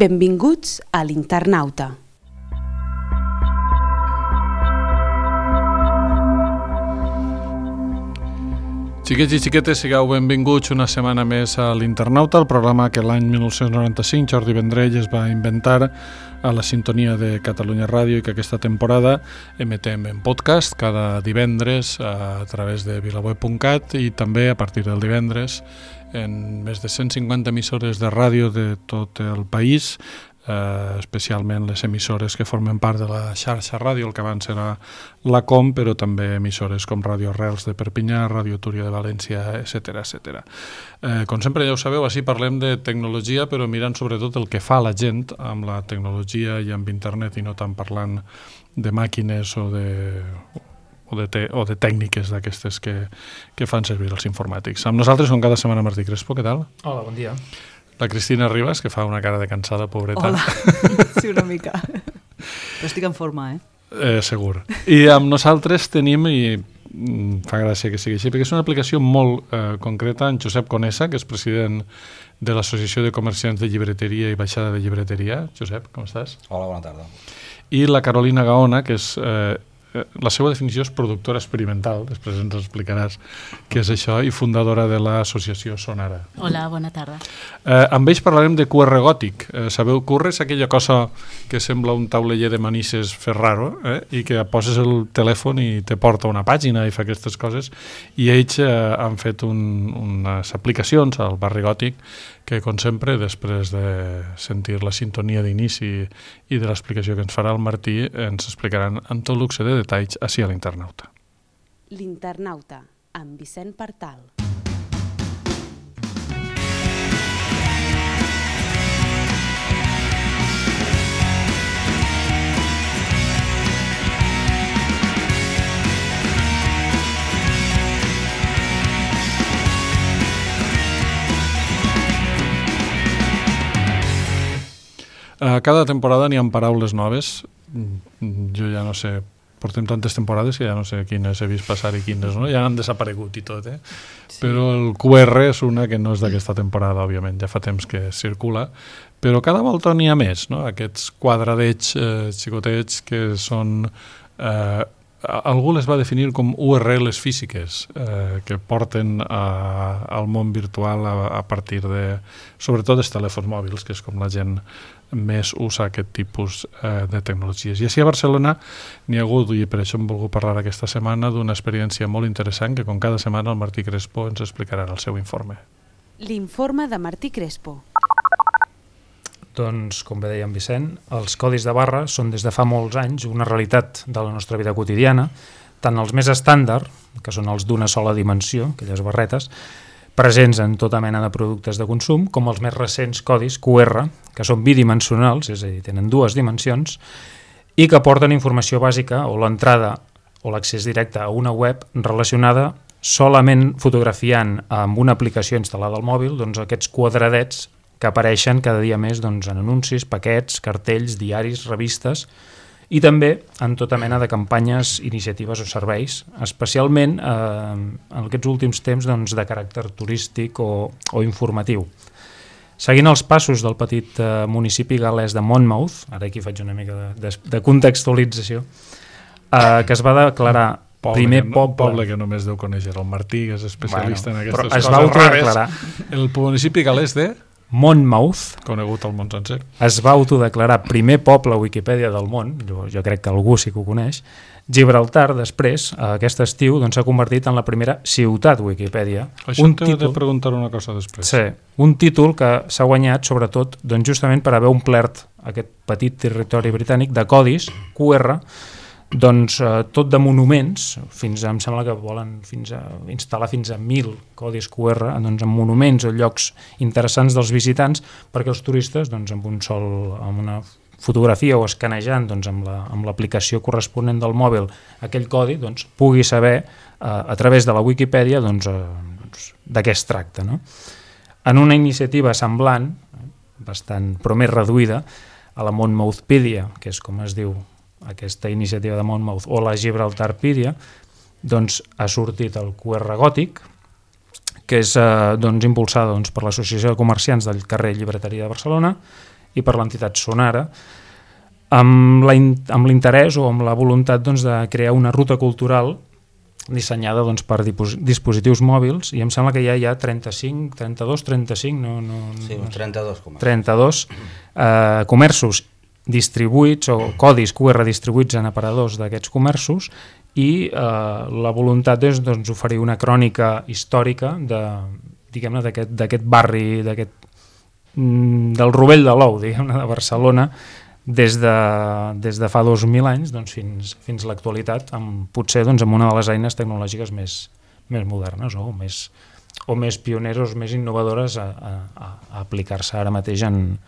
Benvinguts a l'Internauta. Xiquets i xiquetes, sigueu benvinguts una setmana més a l'Internauta, el programa que l'any 1995 Jordi Vendrell es va inventar a la sintonia de Catalunya Ràdio i que aquesta temporada emetem en podcast cada divendres a través de vilaweb.cat i també a partir del divendres en més de 150 emissores de ràdio de tot el país, especialment les emissores que formen part de la xarxa ràdio, el que abans era la COM, però també emissores com Ràdio Arrels de Perpinyà, Ràdio Túria de València, etc. Com sempre ja ho sabeu, així parlem de tecnologia, però mirant sobretot el que fa la gent amb la tecnologia i amb internet i no tant parlant de màquines o de tècniques d'aquestes que fan servir els informàtics. Amb nosaltres, com cada setmana, Martí Crespo, què tal? Hola, bon dia. La Cristina Ribas, que fa una cara de cansada, pobreta. Hola, sí, una mica. Però estic en forma, Segur. I amb nosaltres tenim, i fa gràcia que sigui així, perquè és una aplicació molt concreta, en Josep Conesa, que és president de l'Associació de Comerciants de Llibreteria i Baixada de Llibreteria. Josep, com estàs? Hola, bona tarda. I la Carolina Gaona, que és... la seva definició és productora experimental, després ens explicaràs què és això, i fundadora de l'associació Sonara. Hola, bona tarda. Amb ells parlarem de QR gòtic. Sabeu, QR és aquella cosa que sembla un tauleller de manises fer raro, i que poses el telèfon i te porta una pàgina i fa aquestes coses, i ells han fet unes aplicacions al barri gòtic que, com sempre, després de sentir la sintonia d'inici i de l'explicació que ens farà el Martí, ens explicaran amb tot luxe de detalls ací a l'Internauta. L'Internauta, amb Vicent Partal. Cada temporada n'hi ha paraules noves. Jo ja no sé, portem tantes temporades que ja no sé quines he vist passar i quines no, ja han desaparegut i tot, Sí. Però el QR és una que no és d'aquesta temporada, òbviament, ja fa temps que circula, però cada volta n'hi ha més, no? Aquests quadradets xicotets que són... algú les va definir com URLs físiques que porten al món virtual a partir de, sobretot, dels telèfons mòbils, que és com la gent més usa aquest tipus de tecnologies. I així a Barcelona n'hi ha hagut, i per això hem volgut parlar aquesta setmana, d'una experiència molt interessant que com cada setmana el Martí Crespo ens explicarà en el seu informe. L'informe de Martí Crespo. Doncs, com bé deia en Vicent, els codis de barra són des de fa molts anys una realitat de la nostra vida quotidiana, tant els més estàndard, que són els d'una sola dimensió, aquelles barretes, presents en tota mena de productes de consum, com els més recents codis QR, que són bidimensionals, és a dir, tenen dues dimensions, i que porten informació bàsica o l'entrada o l'accés directe a una web relacionada solament fotografiant amb una aplicació instal·lada al mòbil, doncs aquests quadradets que apareixen cada dia més doncs, en anuncis, paquets, cartells, diaris, revistes i també en tota mena de campanyes, iniciatives o serveis, especialment en aquests últims temps doncs, de caràcter turístic o informatiu. Seguint els passos del petit municipi gal·lès de Monmouth, ara aquí faig una mica de contextualització, que es va declarar primer poble que només deu conèixer el Martí, que és especialista en aquestes coses es va autodeclarar. El municipi gal·lès de Monmouth, conegut al món sencer, es va autodeclarar primer poble a Wikipedia del món, jo crec que algú sí que ho coneix. Gibraltar, després, aquest estiu, s'ha convertit en la primera ciutat Wikipedia. Això t'he de preguntar una cosa després. Sí, un títol que s'ha guanyat sobretot justament per haver omplert aquest petit territori britànic de codis QR, tot de monuments, em sembla que volen instal·lar fins a 1.000 codis QR en monuments o llocs interessants dels visitants perquè els turistes amb una fotografia o escanejant amb l'aplicació corresponent del mòbil aquell codi pugui saber a través de la Wikipedia de què es tracta. En una iniciativa semblant, bastant però més reduïda, a la Monmouthpedia, que és com es diu aquesta iniciativa de Monmouth, o la Gibraltarpedia, ha sortit el QR gòtic, que és impulsada per l'Associació de Comerciants del carrer Llibreteria de Barcelona i per l'entitat Sonara, amb l'interès o amb la voluntat de crear una ruta cultural dissenyada per dispositius mòbils, i em sembla que ja hi ha 35, Sí, uns 32 comerços. 32 comerços distribuïts o codis QR distribuïts en aparadors d'aquests comerços, i la voluntat és oferir una crònica històrica d'aquest barri, del Rovell de l'Ou, diguem-ne, de Barcelona, des de fa 2.000 anys fins a l'actualitat, potser amb una de les eines tecnològiques més modernes o més pioneres, més innovadores a aplicar-se ara mateix en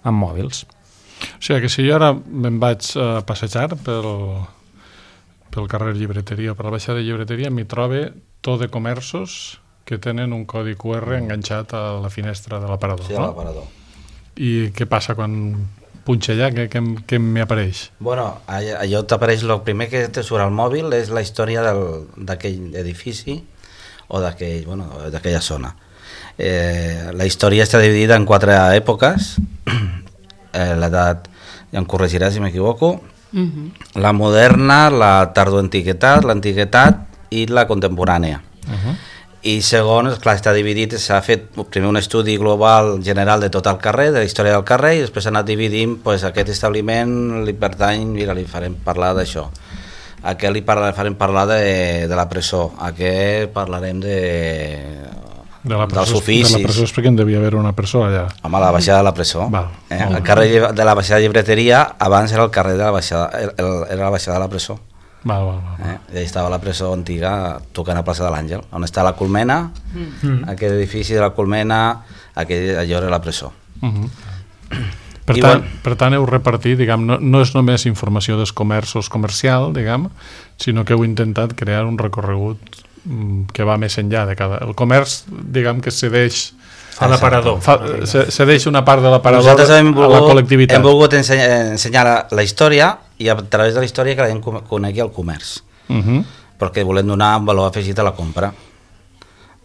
mòbils. O sigui que si jo ara me'n vaig a passejar pel carrer Llibreteria o per la baixada de Llibreteria, m'hi trobe tot de comerços que tenen un codi QR enganxat a la finestra de l'aparador. Sí, a l'aparador. I què passa quan punxa allà? Què m'hi apareix? Bueno, allò t'apareix, el primer que te surt al mòbil és la història d'aquell edifici o d'aquella zona. La història està dividida en 4 èpoques. L'edat, ja em corregirà si m'equivoco, la moderna, la tardoantiguitat, l'antiguitat i la contemporània. I segons, clar, està dividit, s'ha fet primer un estudi global general de tot el carrer, de la història del carrer, i després s'ha anat dividint, aquest establiment li pertany, mira, li farem parlar d'això, a aquest li farem parlar de la presó, a aquest parlarem dels oficis. De la presó és perquè en devia haver una presó allà. Home, la baixada de la presó. El carrer de la baixada de Llibreteria abans era el carrer de la baixada, era la baixada de la presó. I allà estava la presó antiga tocant a plaça de l'Àngel, on està la Colmena, aquest edifici de la Colmena, allò era la presó. Per tant, heu repartit, no és només informació dels comerços comercial, sinó que heu intentat crear un recorregut que va més enllà de cada... El comerç, que cedeix a l'aparador. Cedeix una part de l'aparador a la col·lectivitat. Hem volgut ensenyar la història i a través de la història que la gent conegui el comerç. Perquè volem donar un valor afegit a la compra.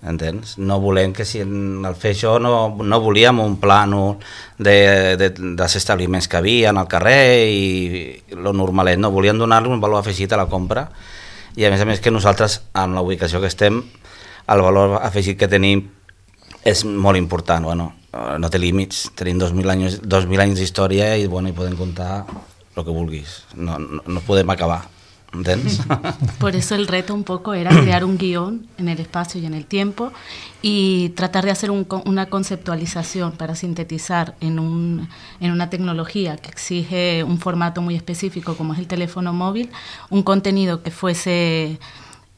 Entens? No volem que si al fer això no volíem un plànol dels establiments que havia al carrer i lo normalet, no, volíem donar-li un valor afegit a la compra, i a més que nosaltres, amb la ubicació que estem, el valor afegit que tenim és molt important. No té límits, tenim 2.000 anys d'història i podem contar el que vulguis, no podem acabar. ¿Entiendes? Por eso el reto un poco era crear un guión en el espacio y en el tiempo y tratar de hacer una conceptualización para sintetizar en una tecnología que exige un formato muy específico como es el teléfono móvil, un contenido que fuese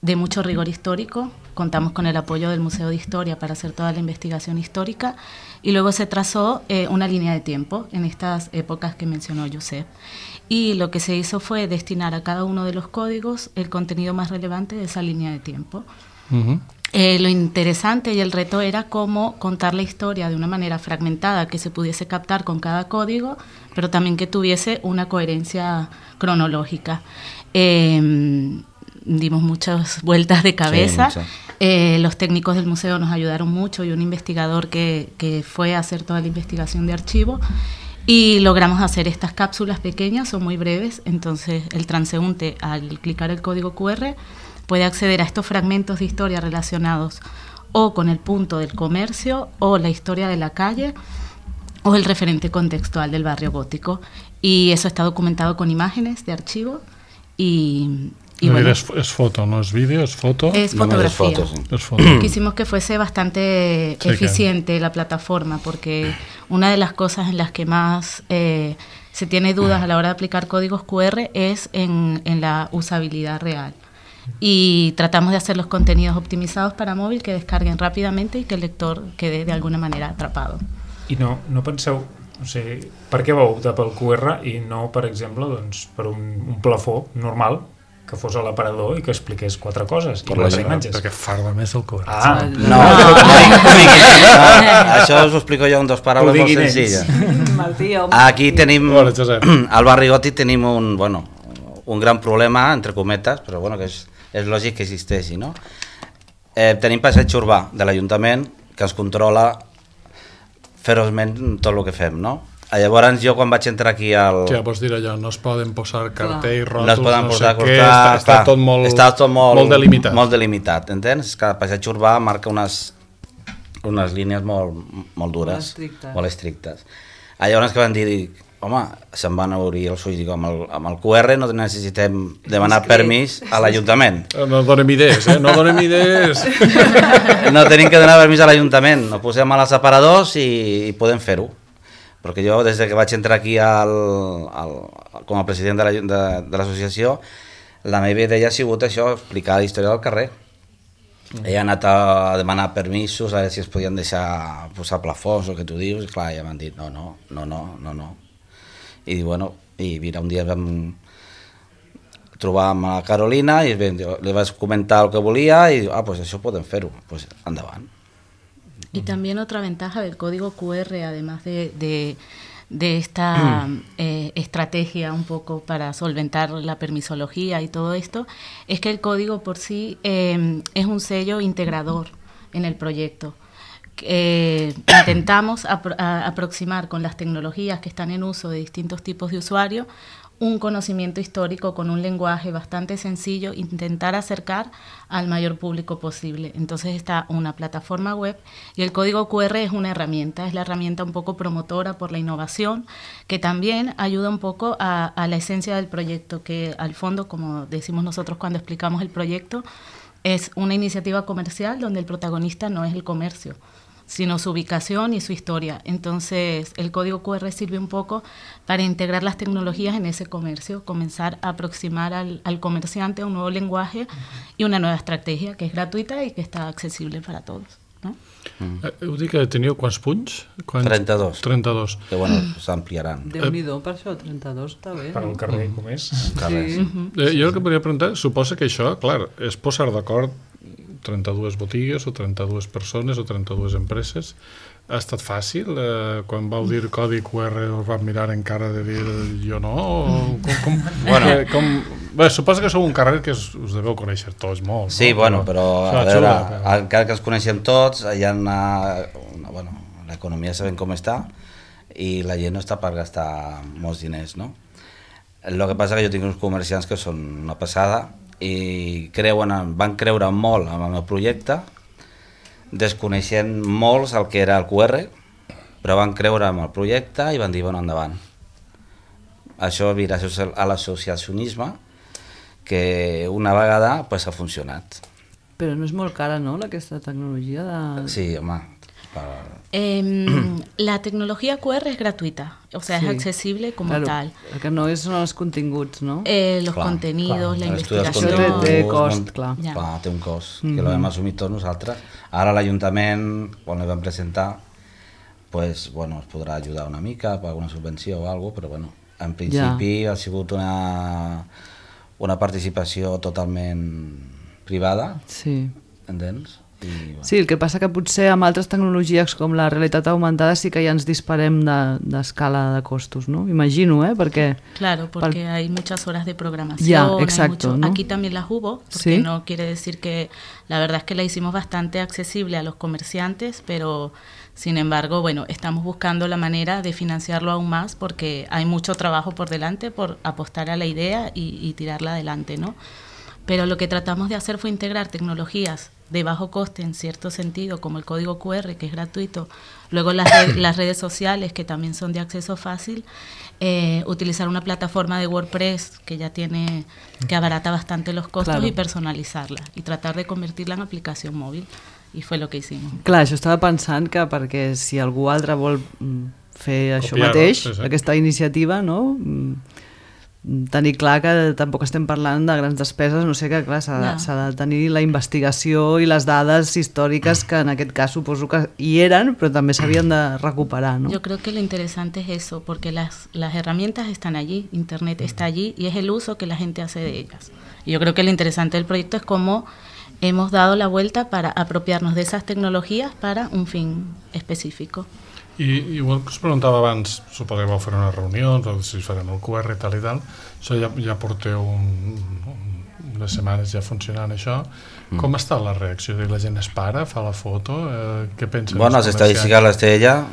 de mucho rigor histórico. Contamos con el apoyo del Museo de Historia para hacer toda la investigación histórica y luego se trazó una línea de tiempo en estas épocas que mencionó Josep. Y lo que se hizo fue destinar a cada uno de los códigos el contenido más relevante de esa línea de tiempo. Lo interesante y el reto era cómo contar la historia de una manera fragmentada que se pudiese captar con cada código, pero también que tuviese una coherencia cronológica. Dimos muchas vueltas de cabeza. Sí, los técnicos del museo nos ayudaron mucho y un investigador que fue a hacer toda la investigación de archivo. Y logramos hacer estas cápsulas pequeñas, son muy breves, entonces el transeúnte al clicar el código QR puede acceder a estos fragmentos de historia relacionados o con el punto del comercio o la historia de la calle o el referente contextual del barrio gótico. Y eso está documentado con imágenes de archivo y es foto, no es vídeo, es foto. Es fotografía. Es foto. Quisimos que fuese bastante eficiente la plataforma, porque una de las cosas en las que más se tiene dudas a la hora de aplicar códigos QR es en la usabilidad real. Y tratamos de hacer los contenidos optimizados para móvil que descarguen rápidamente y que el lector quede de alguna manera atrapado. I no penseu, per què vau optar pel QR i no, per exemple, per un plafó normal que fos a l'aparador i que expliqués 4 coses i 4 imatges? Perquè farda més el QR. No. Això us ho explico jo en 2 paraules molt senzilles. Aquí tenim, al barri gòtic tenim un gran problema, entre cometes, però que és lògic que existeixi, no? Tenim passeig urbà de l'Ajuntament que ens controla feroçment tot el que fem, no? Llavors jo quan vaig entrar aquí al... Ja vols dir allò, no es poden posar cartells, ròtols, no es poden posar què, està tot molt delimitat. Molt delimitat, entens? Que el paisatge urbà marca unes línies molt dures, molt estrictes. Llavors que van dir, home, se'n van obrir els ulls, dic, amb el QR no necessitem demanar permís a l'Ajuntament. No donem idees, no donem idees. No tenim que donar permís a l'Ajuntament, ho posem als separadors i podem fer-ho. Perquè jo, des que vaig entrar aquí com a president de l'associació, la meva idea ha sigut això, explicar la història del carrer. He anat a demanar permisos, a veure si es podien deixar posar plafons o el que tu dius, i clar, ja m'han dit no. I bueno, i mira, un dia vam trobar amb la Carolina i li vaig comentar el que volia i pues això podem fer-ho, pues endavant. Y también otra ventaja del código QR, además de esta estrategia un poco para solventar la permisología y todo esto, es que el código por sí es un sello integrador en el proyecto. Intentamos aproximar con las tecnologías que están en uso de distintos tipos de usuarios un conocimiento histórico con un lenguaje bastante sencillo, intentar acercar al mayor público posible. Entonces está una plataforma web y el código QR es una herramienta, es la herramienta un poco promotora por la innovación, que también ayuda un poco a la esencia del proyecto, que al fondo, como decimos nosotros cuando explicamos el proyecto, es una iniciativa comercial donde el protagonista no es el comercio, sino su ubicación y su historia. Entonces, el código QR sirve un poco para integrar las tecnologías en ese comercio, comenzar a aproximar al comerciante a un nuevo lenguaje y una nueva estrategia que es gratuita y que está accesible para todos, ¿no? Heu dit que teníeu quants punts? 32. 32. Que bueno, s'ampliaran. Déu-n'hi-do, per això, 32 està bé. Per un carrer com és. Sí. Jo el que podria preguntar, suposa que això, clar, és posar d'acord 32 botigues o 32 persones o 32 empreses. Ha estat fàcil? Quan vau dir codi QR us van mirar en cara de dir jo no? Bé, suposa que sou un carrer que us deveu conèixer tots molt. Sí, no? bueno, però a veure, encara que els coneixem tots, hi ha l'economia sabem com està i la gent no està per gastar molts diners, no? El que passa que jo tinc uns comerciants que són una passada i van creure molt en el meu projecte, desconeixent molts el que era el QR, però van creure en el projecte i van dir, bueno, endavant. Això gràcies a l'associacionisme, que una vegada pues, ha funcionat. Però no és molt cara, no?, aquesta tecnologia de... Sí, home. La tecnología QR es gratuita, o sea, sí, es accesible como tal. El que no són els continguts, no? Los contenidos, la investigació... Això té cost, clar. Clar, té un cost, que l'hem assumit tots nosaltres. Ara l'Ajuntament, quan el vam presentar, pues, bueno, es podrà ajudar una mica per alguna subvenció o alguna cosa, però bueno, en principi ha sigut una participació totalment privada, sí. Entens? Sí, el que passa que potser amb altres tecnologies com la realitat augmentada sí que ja ens disparem d'escala de costos, ¿no? Imagino, porque... Claro, porque hay muchas horas de programación. Ya, exacto, ¿no? Aquí también las hubo, porque ¿sí? No quiere decir que... La verdad es que la hicimos bastante accesible a los comerciantes, pero sin embargo, bueno, estamos buscando la manera de financiarlo aún más porque hay mucho trabajo por delante por apostar a la idea y tirarla adelante, ¿no? Pero lo que tratamos de hacer fue integrar tecnologías de bajo coste en cierto sentido, como el código QR, que es gratuito, luego las redes sociales, que también son de acceso fácil, utilizar una plataforma de WordPress que abarata bastante los costos, claro, y personalizarla, y tratar de convertirla en aplicación móvil, y fue lo que hicimos. Clar, això estava pensant que perquè si algú altre vol fer això mateix, aquesta iniciativa, no? Tenir clar que tampoc estem parlant de grans despeses, no sé, que clar, s'ha de tenir la investigació i les dades històriques que en aquest cas suposo que hi eren, però també s'havien de recuperar, ¿no? Yo creo que lo interesante es eso, porque las herramientas están allí, Internet está allí y es el uso que la gente hace de ellas. Y yo creo que lo interesante del proyecto es cómo hemos dado la vuelta para apropiarnos de esas tecnologías para un fin específico. I igual que us preguntava abans, suposo que vau fer unes reunions o si farem el QR i tal, això ja porteu unes setmanes ja funcionant això. Com està la reacció? La gent es para, fa la foto? Què pensen? Bueno, les estadístiques les té ella,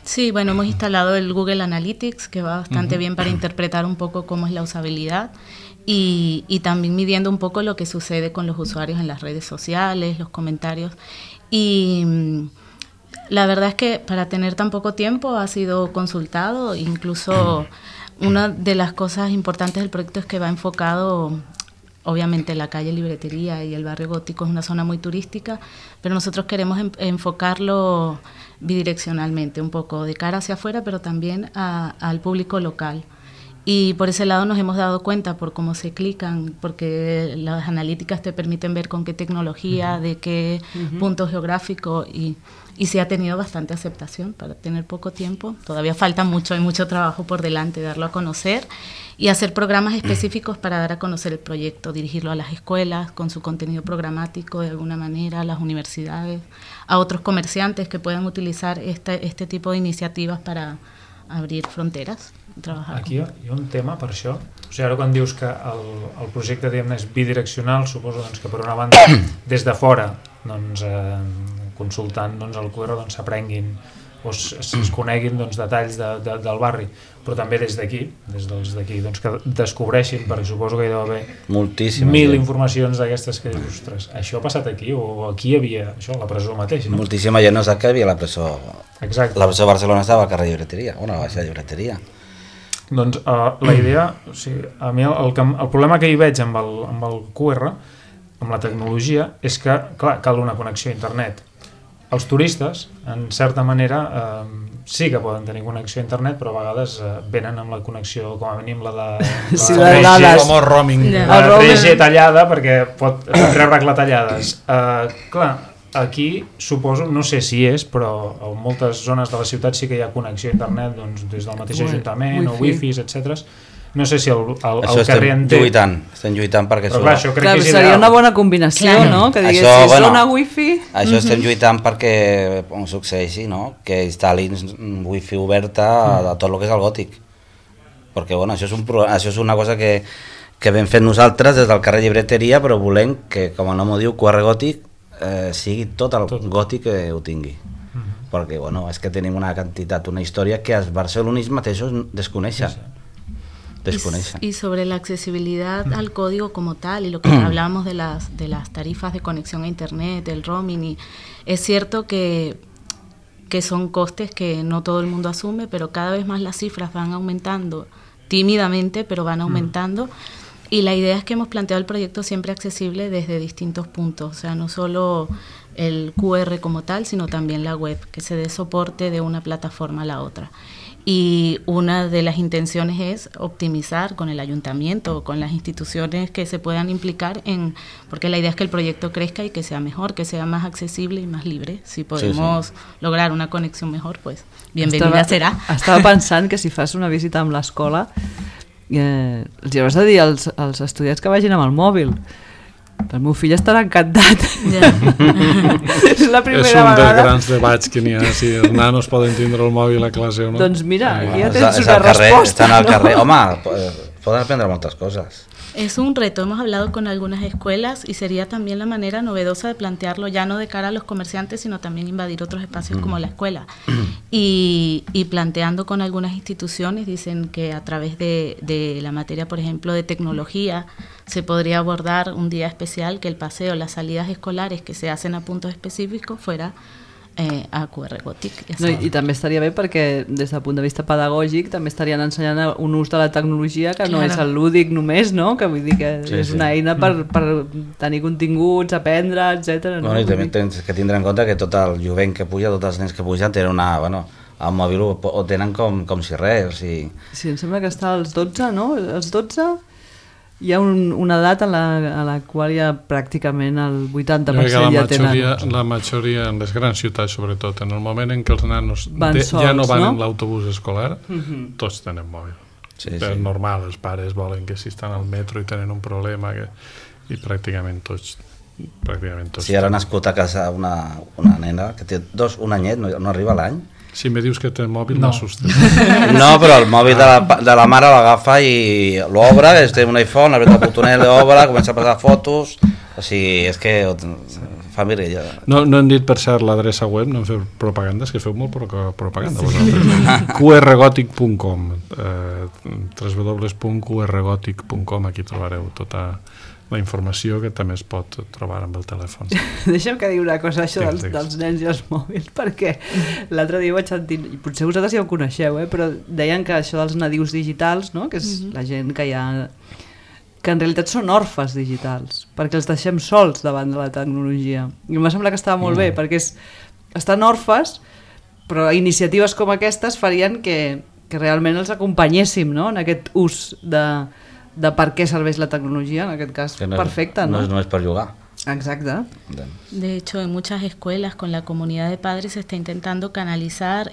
Sí, bueno, hemos instalado el Google Analytics, que va bastante bien para interpretar un poco cómo es la usabilidad y también midiendo un poco lo que sucede con los usuarios en las redes sociales, los comentarios. Y la verdad es que para tener tan poco tiempo ha sido consultado, incluso una de las cosas importantes del proyecto es que va enfocado, obviamente la calle Libretería y el barrio gótico es una zona muy turística, pero nosotros queremos enfocarlo bidireccionalmente, un poco de cara hacia afuera, pero también al público local. Y por ese lado nos hemos dado cuenta por cómo se clican, porque las analíticas te permiten ver con qué tecnología, de qué punto geográfico y sí ha tenido bastante aceptación para tener poco tiempo. Todavía falta mucho, hay mucho trabajo por delante, darlo a conocer y hacer programas específicos para dar a conocer el proyecto, dirigirlo a las escuelas con su contenido programático de alguna manera, a las universidades, a otros comerciantes que puedan utilizar este tipo de iniciativas para abrir fronteras. Aquí hi ha un tema per això. O sigui, ara quan dius que el projecte és bidireccional, suposo que per una banda des de fora consultant el QR s'aprenguin o es coneguin detalls del barri, però també des d'aquí que descobreixin, perquè suposo que hi deu haver moltíssimes 1.000 informacions d'aquestes que dius, ostres, això ha passat aquí o aquí hi havia això, la presó mateix, no? Moltíssima gent no sap que hi havia la presó. Exacte. La presó de Barcelona estava al carrer Llibreteria, a la baixa Llibreteria. Doncs la idea, o sigui, a mi el problema que hi veig amb el QR, amb la tecnologia, és que, clar, cal una connexió a internet. Els turistes, en certa manera, sí que poden tenir connexió a internet, però a vegades venen amb la connexió, com a mínim la de... Sí, la de dades. Com el roaming. La 3G tallada, perquè pot treure-la tallades. Clar, aquí suposo, no sé si és, però en moltes zones de la ciutat sí que hi ha connexió a internet des del mateix ajuntament o wifis, etc. No sé si el carrer en té... Estem lluitant perquè però clar, això crec que és seria ideal. una bona combinació, no? Que diguessis zona wifi... Això estem lluitant perquè succeeixi, no? Que instal·lin wifi oberta a tot el que és el gòtic. Perquè bueno, això és una cosa que vam fer nosaltres des del carrer Llibreteria, però volem que, com el nom ho diu, QR gòtic, sigui tot el gòtic que ho tingui. Perquè bueno, és que tenim una quantitat, una història que els barcelonins mateixos desconeixen. Y sobre la accesibilidad al código como tal y lo que hablábamos de las tarifas de conexión a internet, el roaming, y es cierto que son costes que no todo el mundo asume, pero cada vez más las cifras van aumentando tímidamente, pero van aumentando. Y la idea es que hemos planteado el proyecto siempre accesible desde distintos puntos, o sea, no solo el QR como tal, sino también la web, que se dé soporte de una plataforma a la otra. Y una de las intenciones es optimizar con el ayuntamiento o con las instituciones que se puedan implicar porque la idea es que el proyecto crezca y que sea mejor, que sea más accesible y más libre. Si podemos lograr una conexión mejor, pues bienvenida serà. Estava pensant que si fas una visita amb l'escola els hauràs de dir als estudiants que vagin amb el mòbil. El meu fill estarà encantat. És la primera vegada. És un dels grans debats que n'hi ha, si els nanos poden tindre el mòbil a classe o no. Doncs mira, aquí ja tens una resposta. Estan al carrer. Home, poden aprendre moltes coses. Es un reto, hemos hablado con algunas escuelas y sería también la manera novedosa de plantearlo, ya no de cara a los comerciantes, sino también invadir otros espacios como la escuela. Y planteando con algunas instituciones, dicen que a través de la materia, por ejemplo, de tecnología, se podría abordar un día especial que el paseo, las salidas escolares que se hacen a puntos específicos fuera a QR gòtic. No, i també estaria bé perquè des del punt de vista pedagògic també estarien ensenyant un ús de la tecnologia que no és el lúdic només, no? Que vull dir que és una eina per tenir continguts, aprendre, etc. No? I també tens que tindre en compte que tot el jovent que puja, tots els nens que pugen tenen una... Bueno, el mòbil ho tenen com si res. Sí, em sembla que està als 12, no? Als 12... Hi ha una edat a la qual ja pràcticament el 80% ja tenen. La majoria, en les grans ciutats sobretot, en el moment en què els nanos ja no van en l'autobús escolar, tots tenen mòbil. És normal, els pares volen que si estan al metro i tenen un problema, i pràcticament tots. Si ara ha nascut a casa una nena que té un anyet, no arriba a l'any. Si me dius que té mòbil, m'assusta. No, però el mòbil de la mare l'agafa i l'obre, té un iPhone, apreta el botonet, l'obre, comença a passar fotos, o sigui, és que fa mirella. No hem dit, per cert, l'adreça web, no hem fet propaganda, és que feu molt propaganda. qrgotic.com www.qrgotic.com, aquí trobareu tota la informació que també es pot trobar amb el telèfon. Deixa'm que digui una cosa, això dels nens i els mòbils, perquè l'altre dia vaig sentir, i potser vosaltres ja ho coneixeu, però deien que això dels nadius digitals, no? Que és la gent que hi ha, que en realitat són orfes digitals, perquè els deixem sols davant de la tecnologia. I em va semblar que estava molt bé, perquè estan orfes, però iniciatives com aquestes farien que realment els acompanyéssim, no? En aquest ús de per què serveix la tecnologia, en aquest cas perfecte, ¿no? No es només per jugar. Exacto. De hecho, en muchas escuelas con la comunidad de padres se está intentando canalizar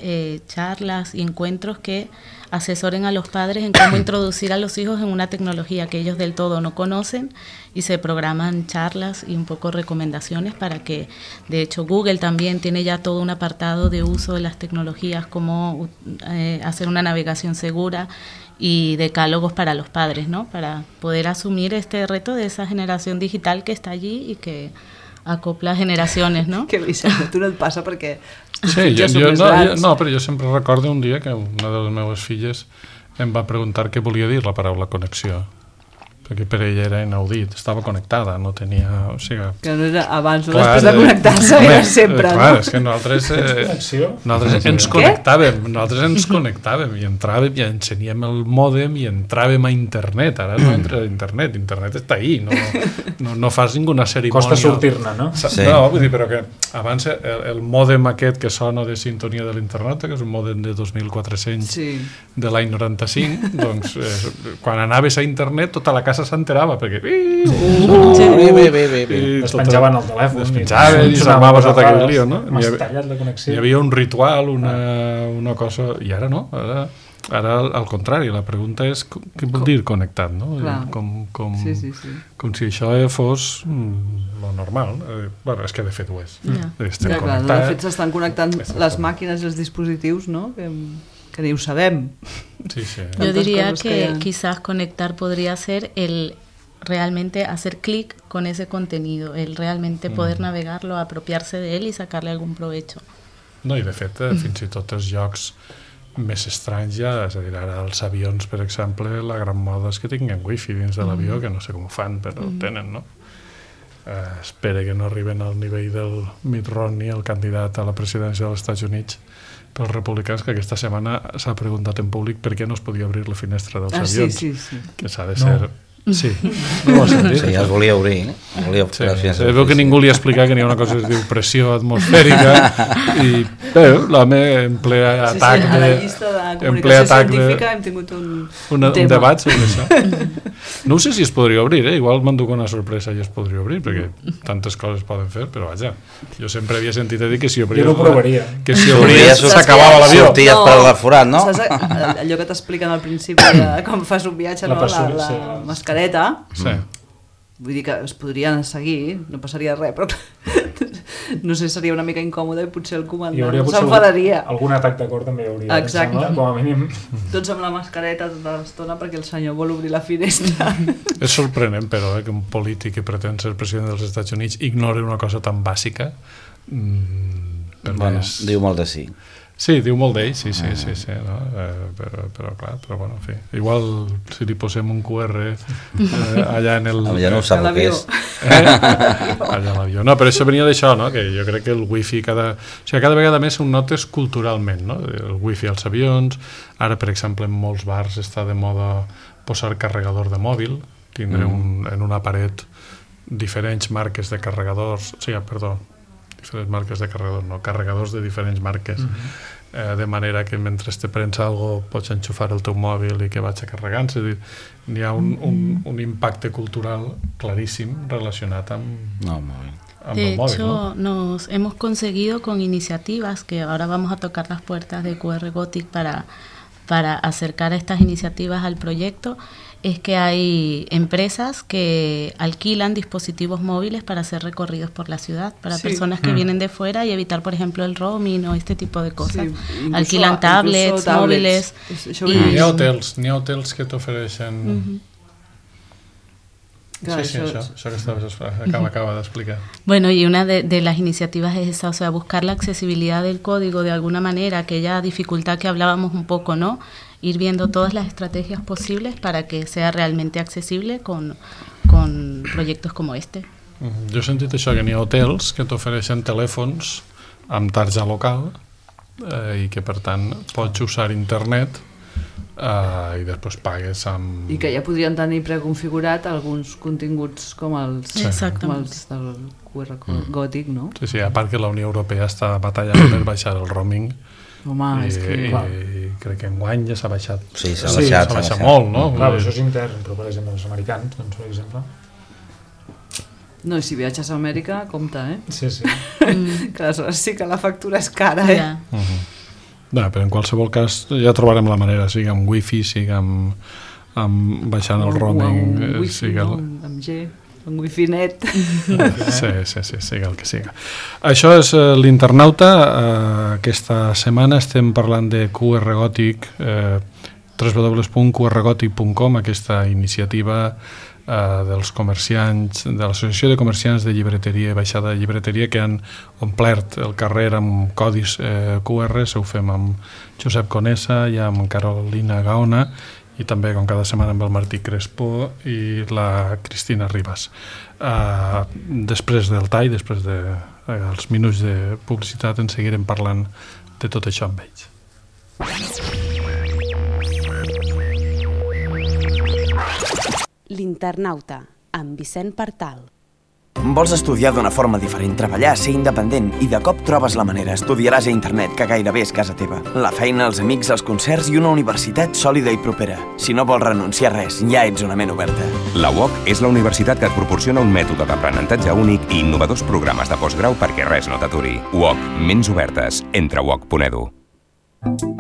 charlas y encuentros que asesoren a los padres en cómo introducir a los hijos en una tecnología que ellos del todo no conocen, y se programan charlas y un poco recomendaciones para que, de hecho, Google también tiene ya todo un apartado de uso de las tecnologías, cómo hacer una navegación segura y decálogos para los padres, ¿no? Para poder asumir este reto de esa generación digital que está allí y que acopla generacions, no? Que Vicent, tu no et passa perquè... Sí, però jo sempre recordo un dia que una de les meves filles em va preguntar què volia dir la paraula connexió, perquè per ella era inaudit, estava connectada, no tenia... O sigui, que no era abans o després de connectar-se, era sempre, no? Clar, és que nosaltres ens connectàvem i entràvem i ensenyem el mòdem i entràvem a internet. Ara no entra a internet està ahí, no fas ninguna cerimònia. Costa sortir-ne, no? Sí. No, vull dir, però que abans el mòdem aquest que sona de sintonia de l'internet, que és un mòdem de 2400 de l'any 95, doncs quan anaves a internet tota la casa s'enterava, perquè es penjaven el telèfon, i s'armava tot aquell lío, no? Hi havia un ritual, una cosa, i ara no, ara al contrari, la pregunta és què vol dir connectat, no? Com si això fos lo normal. Bueno, és que de fet ho és. Estem connectats. De fet s'estan connectant les màquines i els dispositius, no? Que ni ho sabem. Yo diría que quizás conectar podría ser el realmente hacer clic con ese contenido, el realmente poder navegarlo, apropiarse de él y sacarle algún provecho. No, i de fet, fins i tot els jocs més estranys ja, és a dir, ara els avions, per exemple, la gran moda és que tinguin wifi dins de l'avió, que no sé com ho fan, però ho tenen, no? Espero que no arriben al nivell del Mitt Romney, el candidat a la presidència dels Estats Units pels republicans, que aquesta setmana s'ha preguntat en públic per què no es podia obrir la finestra dels avions. Que s'ha de ser... Sí, no ho has sentit? Sí, ja es volia obrir. Veu que ningú li ha explicat que hi ha una cosa que es diu pressió atmosfèrica i l'home en ple atac a la llista de comunicació científica hem tingut un debat sobre això. No sé si es podria obrir, igual m'enduc una sorpresa i es podria obrir, perquè tantes coses poden fer, però vaja, jo sempre havia sentit a dir que si obries... Jo no ho provaria. Que si obries s'acabava l'avió. Sorties per la forat, no? Allò que t'expliquen al principi, com fas un viatge, la mascareta, vull dir que es podrien seguir, no passaria res, però no sé, seria una mica incòmode i potser el comandant s'enfadaria. Algun atac de cor també hi hauria. Exacte. Com a mínim. Tots amb la mascareta tota l'estona perquè el senyor vol obrir la finestra. És sorprenent, però, que un polític que pretén ser president dels Estats Units ignori una cosa tan bàsica. Bueno, diu molt de sí. Sí, diu molt d'ell, sí, no? Però clar, però bueno, en fi. Igual si li posem un QR allà en el... Ja no ho sap el que és. Allà a l'avió. No, però això venia d'això, no? Que jo crec que el wifi cada vegada més ho notes culturalment, no? El wifi als avions, ara per exemple en molts bars està de moda posar carregador de mòbil, tindre en una paret diferents marques de carregadors, carregadors de diferents marques, de manera que mentre te prens alguna cosa pots enxufar el teu mòbil i que vagi carregant. És a dir, hi ha un impacte cultural claríssim relacionat amb el mòbil. De hecho, nos hemos conseguido con iniciativas que ahora vamos a tocar las puertas de QR Gothic para acercar a estas iniciativas al proyecto. Es que hay empresas que alquilan dispositivos móviles para hacer recorridos por la ciudad, para personas que vienen de fuera y evitar, por ejemplo, el roaming o este tipo de cosas. Alquilan tablets, móviles. N'hi ha hotels que t'ofereixen... Clar, sí, això que acaba d'explicar. Bueno, y una de las iniciativas es esa, o sea, buscar la accesibilidad del código de alguna manera, aquella dificultad que hablábamos un poco, ¿no? Ir viendo todas las estrategias posibles para que sea realmente accesible con proyectos como este. Jo he sentit això, que n'hi ha hotels que t'ofereixen telèfons amb tarja local i que per tant pots usar internet i després pagues amb... I que ja podrien tenir preconfigurat alguns continguts com els del QR gòtic, no? Sí, a part que la Unió Europea està batallant per baixar el roaming. Home, és que... I crec que enguany ja s'ha baixat. Sí, s'ha baixat molt, no? Clar, això és intern, però per exemple els americans, doncs, per exemple... No, i si viatges a Amèrica, compte, Sí. Que aleshores sí que la factura és cara, Però en qualsevol cas ja trobarem la manera, sigui amb wifi, sigui amb baixant el roaming, amb wifi, amb G, amb wifi net. Sí, sigui el que siga. Això és l'Internauta. Aquesta setmana estem parlant de QR Gòtic, www.qrgòtic.com, aquesta iniciativa dels comerciants, de l'Associació de Comerciants de Llibreteria i Baixada de Llibreteria, que han omplert el carrer amb codis QR. Ho fem amb Josep Conesa i amb Carolina Gaona, i també, com cada setmana, amb el Martí Crespo i la Cristina Ribas. Després del tall, després dels minuts de publicitat, en seguirem parlant de tot això amb ells. L'Internauta, amb Vicent Partal. Vols estudiar d'una forma diferent, treballar, ser independent i de cop trobes la manera. Estudiaràs a internet, que gairebé és casa teva. La feina, els amics, els concerts i una universitat sòlida i propera. Si no vols renunciar a res, ja ets una ment oberta. La UOC és la universitat que et proporciona un mètode d'aprenentatge únic i innovadors programes de postgrau perquè res no t'aturi. UOC, ments obertes. Entra a uoc.edu.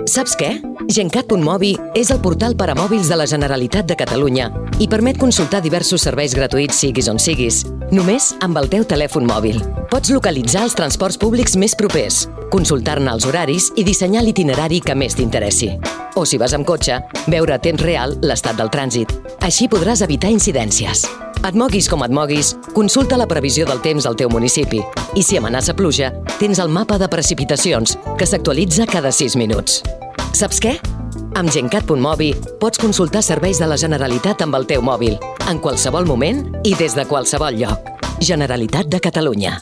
Saps què? Gencat.mobi és el portal per a mòbils de la Generalitat de Catalunya i permet consultar diversos serveis gratuïts siguis on siguis, només amb el teu telèfon mòbil. Pots localitzar els transports públics més propers, consultar-ne els horaris i dissenyar l'itinerari que més t'interessi. O si vas amb cotxe, veure a temps real l'estat del trànsit. Així podràs evitar incidències. Et moguis com et moguis, consulta la previsió del temps al teu municipi. I si amenaça pluja, tens el mapa de precipitacions, que s'actualitza cada 6 minuts. Saps què? Amb Gencat.mobi pots consultar serveis de la Generalitat amb el teu mòbil, en qualsevol moment i des de qualsevol lloc. Generalitat de Catalunya.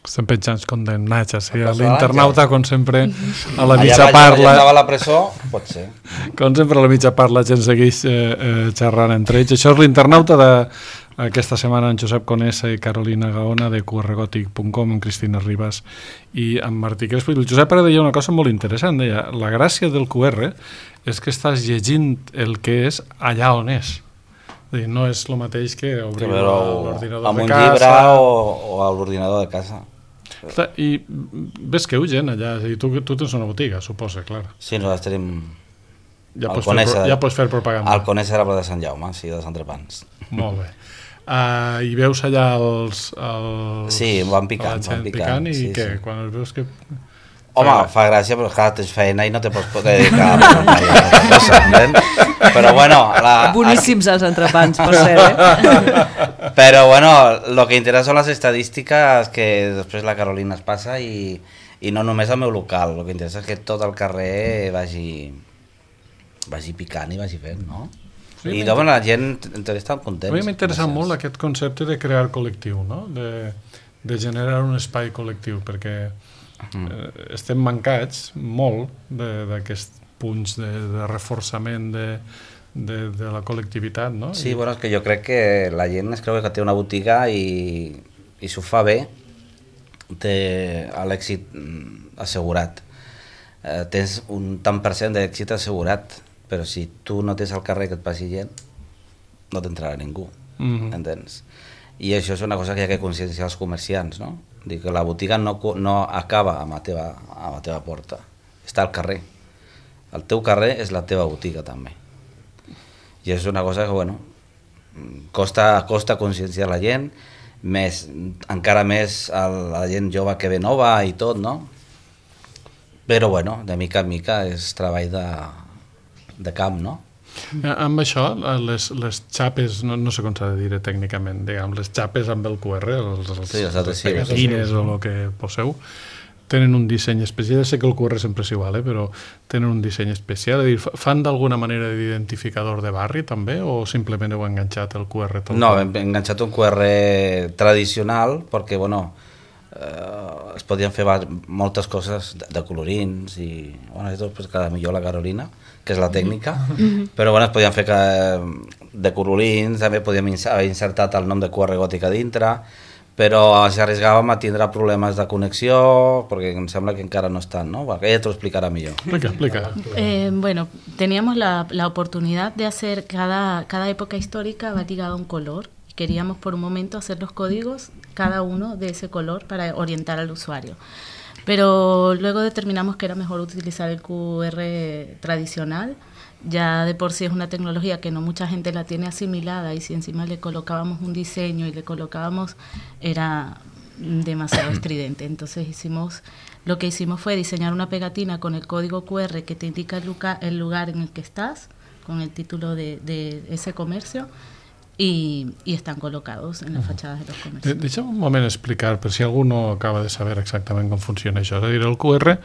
Estem penjants condemnats, sí, a l'Internauta, com sempre, a la mitja allà parla... Allà a la presó, pot ser. Com sempre, a la mitja parla, la gent segueix xerrant entre ells. Això és l'Internauta d'aquesta setmana amb Josep Conesa i Carolina Gaona, de qrgòtic.com, amb Cristina Ribas i amb Martí Crespo. El Josep ara deia una cosa molt interessant, deia, la gràcia del QR és que estàs llegint el que és allà on és. No és el mateix que obrir l'ordinador de casa... Amb un llibre o a l'ordinador de casa. I ves que gent allà, tu tens una botiga, suposa, clar. Sí, nosaltres tenim... Ja pots fer propaganda. El Conesa era de Sant Jaume, sí, dels entrepans. Molt bé. I veus allà els sí, van picant. I sí, què? Sí. Quan els veus que... Home, fa gràcia, però clar, tens feina i no te pots dedicar a cosa, però bueno... Boníssims els entrepans, per ser, Però bueno, lo que interessa són les estadístiques que després la Carolina es passa i no només al meu local, el que interessa és que tot el carrer vagi picant i vagi fent, no? Sí, i doncs la gent està contents. A mi m'interessa molt aquest concepte de crear col·lectiu, no? De generar un espai col·lectiu, perquè estem mancats molt d'aquests punts de reforçament de la col·lectivitat, no? Sí, bueno, és que jo crec que la gent es creu que té una botiga i s'ho fa bé, té l'èxit assegurat. Tens un tant per cent d'èxit assegurat, però si tu no tens al carrer que et passi gent, no t'entrarà ningú, entens? I això és una cosa que hi ha que conscienciar els comerciants, no? Dir que la botiga no acaba a la teva porta, està al carrer. El teu carrer és la teva botiga també. I és una cosa que, bueno, costa conscienciar la gent, encara més a la gent jove que ve nova i tot, no? Però, bueno, de mica en mica és treball de camp, no? Amb això, les xapes, no sé com s'ha de dir tècnicament, diguem, les xapes amb el QR, les pegatines o el que poseu, tenen un disseny especial. Ja sé que el QR sempre és igual, però tenen un disseny especial. Fan d'alguna manera d'identificador de barri també, o simplement heu enganxat el QR? No, hem enganxat un QR tradicional perquè, bueno, es podien fer moltes coses de colorins i, bueno, això pues, cada millor la Carolina, que és la tècnica, però bueno, es podien fer de colorins, també podíem haver insertat el nom de QR Gòtica dintre, però ens arriscàvem a tindre problemes de connexió, perquè em sembla que encara no estan, ¿no? Porque ella te lo explicará mejor. Explica. Bueno, teníamos la oportunidad de hacer cada época histórica va ligada a un color. Queríamos por un momento hacer los códigos, cada uno de ese color, para orientar al usuario. Pero luego determinamos que era mejor utilizar el QR tradicional. Ya de por sí es una tecnología que no mucha gente la tiene asimilada, y si encima le colocábamos un diseño y le colocábamos, era demasiado estridente. Entonces lo que hicimos fue diseñar una pegatina con el código QR que te indica el lugar en el que estás, con el título de ese comercio, y están colocados en las fachadas de los comercios. Deixa'm un moment explicar, per si algú no acaba de saber exactament com funciona això. És a dir, el QR,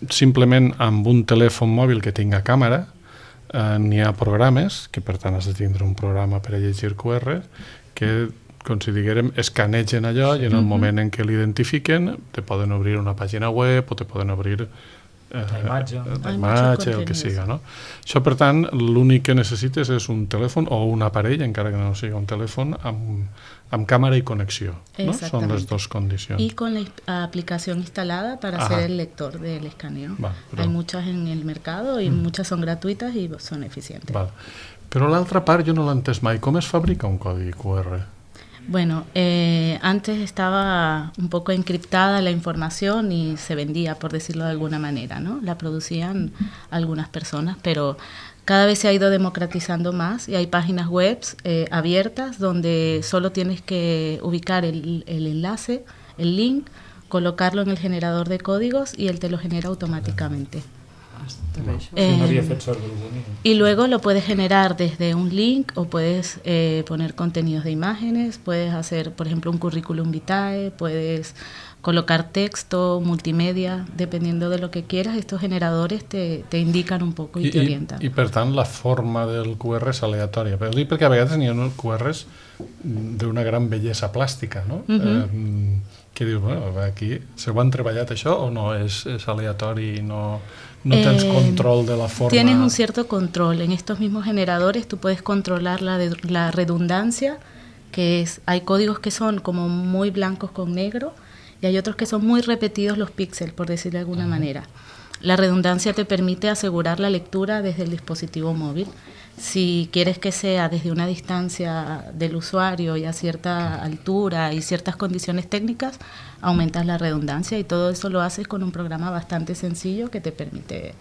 simplement amb un telèfon mòbil que tinga càmera, n'hi ha programes, que per tant has de tindre un programa per a llegir QR, que, com si diguérem, escanegen allò i en el moment en què l'identifiquen te poden obrir una pàgina web o te poden obrir la imatge, el que siga, no? Això, per tant, l'únic que necessites és un telèfon o un aparell, encara que no sigui un telèfon, amb càmera i connexió, ¿no? Son les dos condicions. Y con la aplicación instalada para hacer el lector del escaneo. Hay muchas en el mercado y muchas son gratuitas y son eficientes. Però l'altra part jo no l'he entès mai. Com es fabrica un codi QR? Bueno, antes estaba un poco encriptada la información y se vendía, por decirlo de alguna manera, ¿no? La producían algunas personas, pero cada vez se ha ido democratizando más y hay páginas web abiertas donde solo tienes que ubicar el enlace, el link, colocarlo en el generador de códigos y él te lo genera automáticamente. Y luego lo puedes generar desde un link o puedes poner contenidos de imágenes, puedes hacer, por ejemplo, un currículum vitae, puedes colocar texto, multimedia, dependiendo de lo que quieras. Estos generadores te indican un poco y te orientan. I per tant la forma del QR és aleatòria, però dic perquè a vegades n'hi ha QRs d'una gran bellesa plàstica, no? Que dius, bueno, aquí se ho han treballat això o no? És aleatori i no tens control de la forma. Tienes un cierto control. En estos mismos generadores tú puedes controlar la redundancia, que es, hay códigos que son como muy blancos con negro y hay otros que son muy repetidos los píxeles, por decirlo de alguna manera. La redundancia te permite asegurar la lectura desde el dispositivo móvil. Si quieres que sea desde una distancia del usuario y a cierta altura y ciertas condiciones técnicas, aumentas la redundancia y todo eso lo haces con un programa bastante sencillo que te permite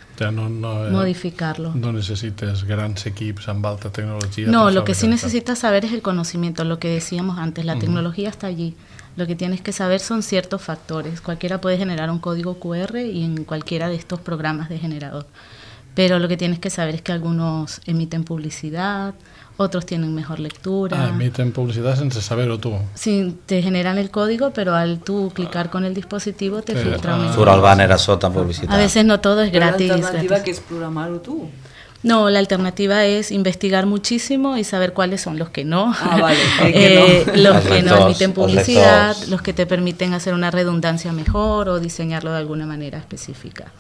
modificarlo. No necesites grans equips amb alta tecnologia. No, lo que sí necesitas saber es el conocimiento, lo que decíamos antes, la tecnología está allí. Lo que tienes que saber son ciertos factores. Cualquiera puede generar un código QR y en cualquiera de estos programas de generador. Pero lo que tienes que saber es que algunos emiten publicidad, otros tienen mejor lectura. Emiten publicidad sin saber-ho tú. Sí, te generan el código, pero al tú clicar con el dispositivo te filtra un... Surt el banner a sota publicitat. A veces no todo es gratis. ¿La alternativa que es programar-ho tú? No, la alternativa es investigar muchísimo y saber cuáles son los que no. Los que no emiten publicidad, los que te permiten hacer una redundancia mejor o diseñarlo de alguna manera específica.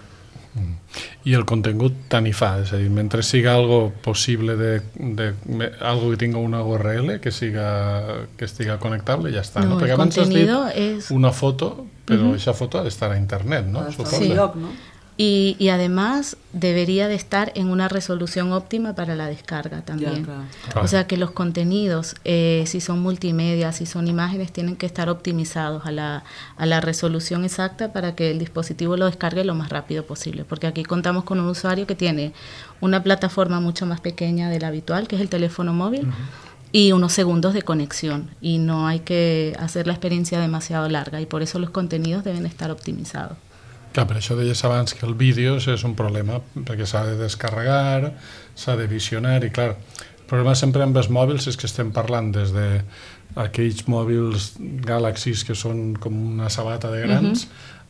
I el contingut tant hi fa, és a dir, mentre siga algo possible algo que tinga una URL que estiga connectable, ja està. No, perquè el abans has dit és... una foto, però aquesta foto ha d'estar a internet, no? Ha d'estar en lloc, no? Y además debería de estar en una resolución óptima para la descarga también. Claro. O sea que los contenidos, si son multimedia, si son imágenes, tienen que estar optimizados a la resolución exacta para que el dispositivo lo descargue lo más rápido posible. Porque aquí contamos con un usuario que tiene una plataforma mucho más pequeña de la habitual, que es el teléfono móvil, y unos segundos de conexión. Y no hay que hacer la experiencia demasiado larga, y por eso los contenidos deben estar optimizados. Clar, per això deies abans que el vídeo és un problema, perquè s'ha de descarregar, s'ha de visionar, i clar, el problema sempre amb els mòbils és que estem parlant des d'aquells mòbils Galaxy que són com una sabata de grans,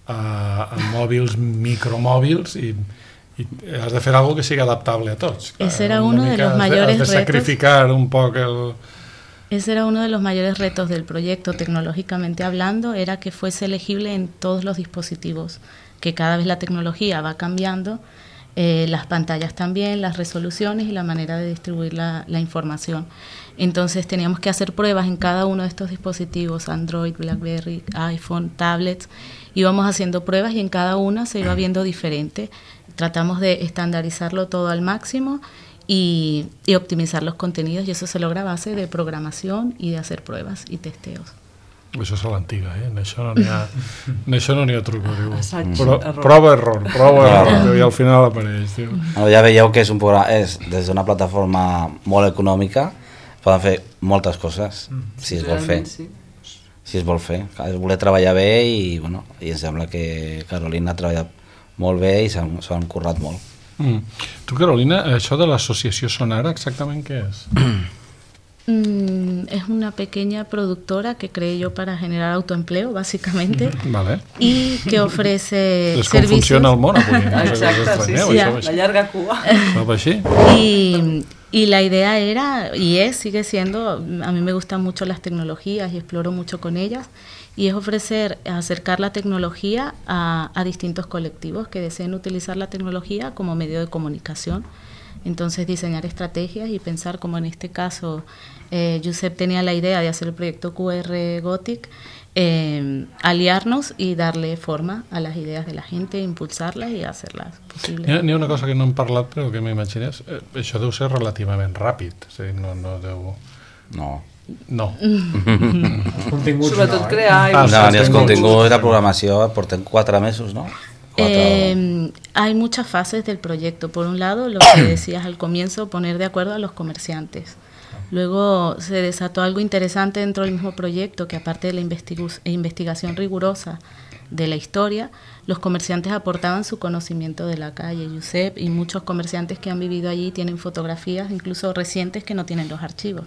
a mòbils micromòbils, i has de fer algo que sigui adaptable a tots. Clar, ese era uno de los mayores retos. Has de sacrificar un poc el... Ese era uno de los mayores retos del proyecto, tecnológicamente hablando, era que fuese legible en todos los dispositivos, que cada vez la tecnología va cambiando, las pantallas también, las resoluciones y la manera de distribuir la información. Entonces teníamos que hacer pruebas en cada uno de estos dispositivos, Android, BlackBerry, iPhone, tablets, íbamos haciendo pruebas y en cada una se iba viendo diferente. Tratamos de estandarizarlo todo al máximo y optimizar los contenidos, y eso se logra a base de programación y de hacer pruebas y testeos. Això és a l'antiga, en això no n'hi ha truco, diu. Error. Prova-error, i al final apareix, diu. Ja veieu que és des d'una plataforma molt econòmica, poden fer moltes coses, si es vol fer. Si es vol fer. Es voler treballar bé i em sembla que Carolina ha treballat molt bé i s'han currat molt. Tu, Carolina, això de l'associació Sonara, exactament què és? Es una pequeña productora que creé yo para generar autoempleo, básicamente, vale. Y que ofrece servicios. Com funciona el món avui. Exacte, sí, la llarga cua. Y la idea era, sigue siendo, a mí me gustan mucho las tecnologías y exploro mucho con ellas, y es acercar la tecnología a distintos colectivos que deseen utilizar la tecnología como medio de comunicación. Entonces diseñar estrategias y pensar, como en este caso Josep tenía la idea de hacer el proyecto QR Gothic, aliarnos y darle forma a las ideas de la gente, impulsarlas y hacerlas posibles. N'hi ha una cosa que no hem parlat però que m'imagines, això deu ser relativament ràpid, no deu... No. Sobretot crear... Ni els continguts de programació portem 4 mesos, no? Hay muchas fases del proyecto. Por un lado, lo que decías al comienzo, poner de acuerdo a los comerciantes. Luego se desató algo interesante dentro del mismo proyecto, que aparte de la investigación rigurosa de la historia, los comerciantes aportaban su conocimiento de la calle. Josep y muchos comerciantes que han vivido allí tienen fotografías, incluso recientes, que no tienen los archivos.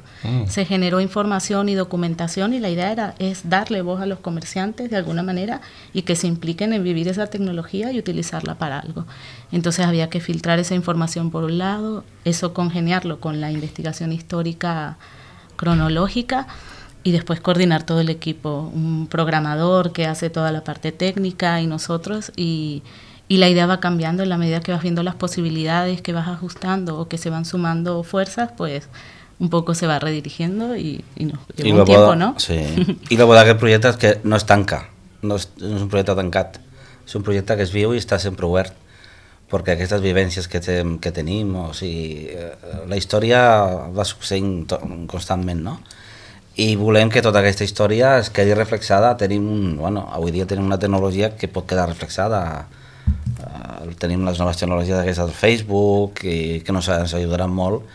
Se generó información y documentación, y la idea es darle voz a los comerciantes de alguna manera y que se impliquen en vivir esa tecnología y utilizarla para algo. Entonces había que filtrar esa información por un lado, eso congeniarlo con la investigación histórica cronológica, y después coordinar todo el equipo, un programador que hace toda la parte técnica y nosotros, y la idea va cambiando en la medida que vas viendo las posibilidades, que vas ajustando o que se van sumando fuerzas, pues un poco se va redirigiendo y nos lleva un tiempo, ¿no? Sí, i la bo d'aquest projecte és que no es tanca, no és un projecte tancat, és un projecte que es viu i està sempre obert, perquè aquestes vivències que tenim, o sigui, la història va succeint constantment, no? I volem que tota aquesta història es quedi reflexada. Avui dia tenim una tecnologia que pot quedar reflexada. Tenim les noves tecnologies d'aquestes del Facebook i que ens ajudaran molt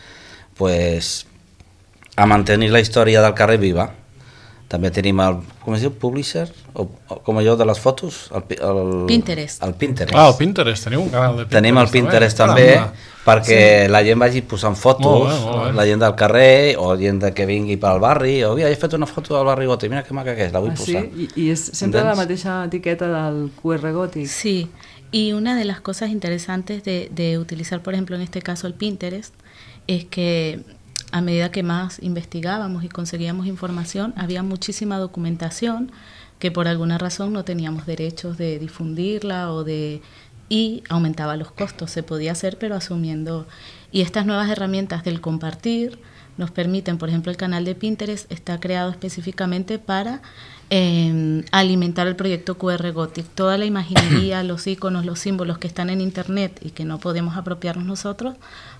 a mantenir la història del carrer viva. També tenim el, com es diu, publisher, o com allò de les fotos? El Pinterest. El Pinterest. El Pinterest, teniu un canal de Pinterest. Tenim el Pinterest també, perquè la gent vagi posant fotos, la gent del carrer, o gent que vingui pel barri, o he fet una foto del barri Gòtic, mira que maca que és, la vull posar. Sí? I és sempre la mateixa etiqueta del QR Gòtic. Sí, y una de las cosas interesantes de utilizar, por ejemplo, en este caso el Pinterest, es que a medida que más investigábamos y conseguíamos información, había muchísima documentación que por alguna razón no teníamos derechos de difundirla y aumentaba los costos. Se podía hacer, pero asumiendo. Y estas nuevas herramientas del compartir nos permiten, por ejemplo, el canal de Pinterest está creado específicamente para alimentar el proyecto QR Gothic. Toda la imaginería, los iconos, los símbolos que están en internet y que no podemos apropiarnos nosotros,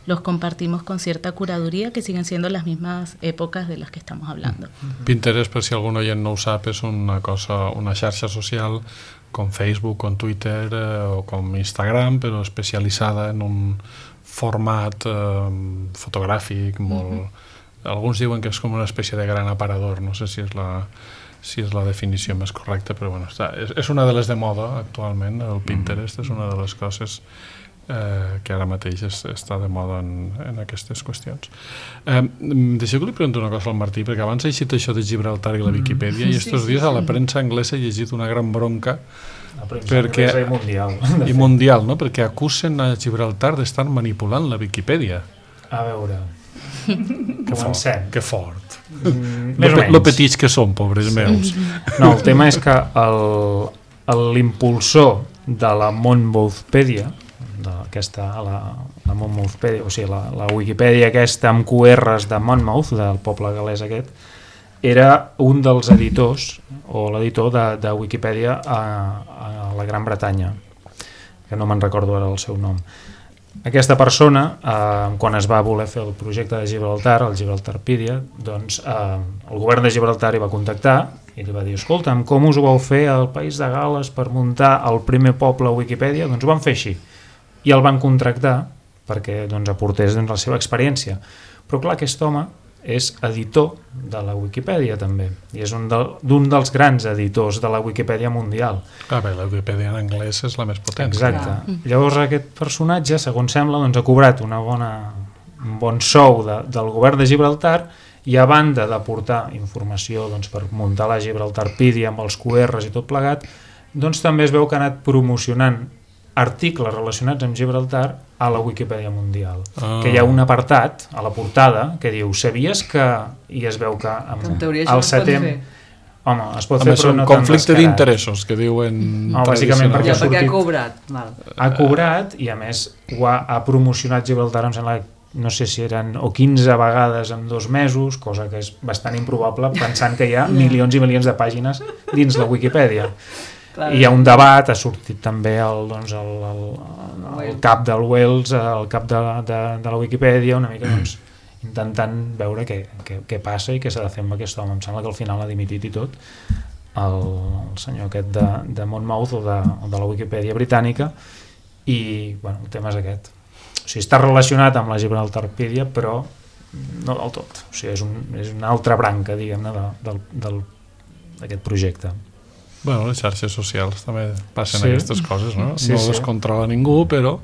los compartimos con cierta curaduría que siguen siendo las mismas épocas de las que estamos hablando. Pinterest, per si algun oient no ho sap, és una xarxa social com Facebook, com Twitter o com Instagram, però especialitzada en un format fotogràfic molt... Alguns diuen que és com una espècie de gran aparador, no sé si és la definició més correcta, però bueno, és una de les de moda actualment, el Pinterest és una de les coses que ara mateix està de moda en aquestes qüestions. Deixeu que li pregunto una cosa al Martí, perquè abans he llegit això de Gibraltar i la Viquipèdia, i estos dies a la premsa anglesa he llegit una gran bronca i mundial, no? Perquè acusen a Gibraltar d'estar manipulant la Viquipèdia. A veure, comencem. Que fort. Més o menys. Lo petits que són, pobres meus. No, el tema és que l'impulsor de la Monmouthpedia, la Monmouthpedia, o sigui, la Wikipedia aquesta amb QRs de Monmouth, del poble galès aquest, era un dels editors, o l'editor de Wikipedia a la Gran Bretanya, que no me'n recordo ara el seu nom. Aquesta persona, quan es va voler fer el projecte de Gibraltar, el Gibraltarpedia, doncs el govern de Gibraltar hi va contactar i li va dir, escolta'm, com us ho vau fer al País de Gal·les per muntar el primer poble a Wikipedia? Doncs ho van fer així. I el van contractar perquè aportés la seva experiència. Però clar, aquest home és editor de la Wikipedia també, i és un dels grans editors de la Wikipedia mundial. Bé, la Wikipedia en anglès és la més potent. Exacte. Llavors aquest personatge, segons sembla, ha cobrat un bon sou del govern de Gibraltar, i a banda d'aportar informació per muntar la Gibraltarpedia amb els QRs i tot plegat, també es veu que ha anat promocionant articles relacionats amb Gibraltar a la Wikipedia mundial, que hi ha un apartat a la portada que diu, sabies que... i es veu que en teoria això es pot fer. Home, es pot fer, però no tan conflicte d'interessos, que diuen... No, bàsicament perquè ha cobrat. Ha cobrat i a més ha promocionat Gibraltar, em sembla, no sé si eren o 15 vegades en 2 mesos, cosa que és bastant improbable pensant que hi ha milions i milions de pàgines dins la Wikipedia. I hi ha un debat, ha sortit també el cap del Wells, el cap de la Wikipedia, una mica intentant veure què passa i què s'ha de fer amb aquest home. Em sembla que al final ha dimitit i tot el senyor aquest de Monmouth o de la Wikipedia britànica, i el tema és aquest. O sigui, està relacionat amb la Gibraltarpedia, però no del tot. O sigui, és una altra branca, diguem-ne, d'aquest projecte. Bueno, les xarxes socials també passen aquestes coses, no? No descontrola ningú, però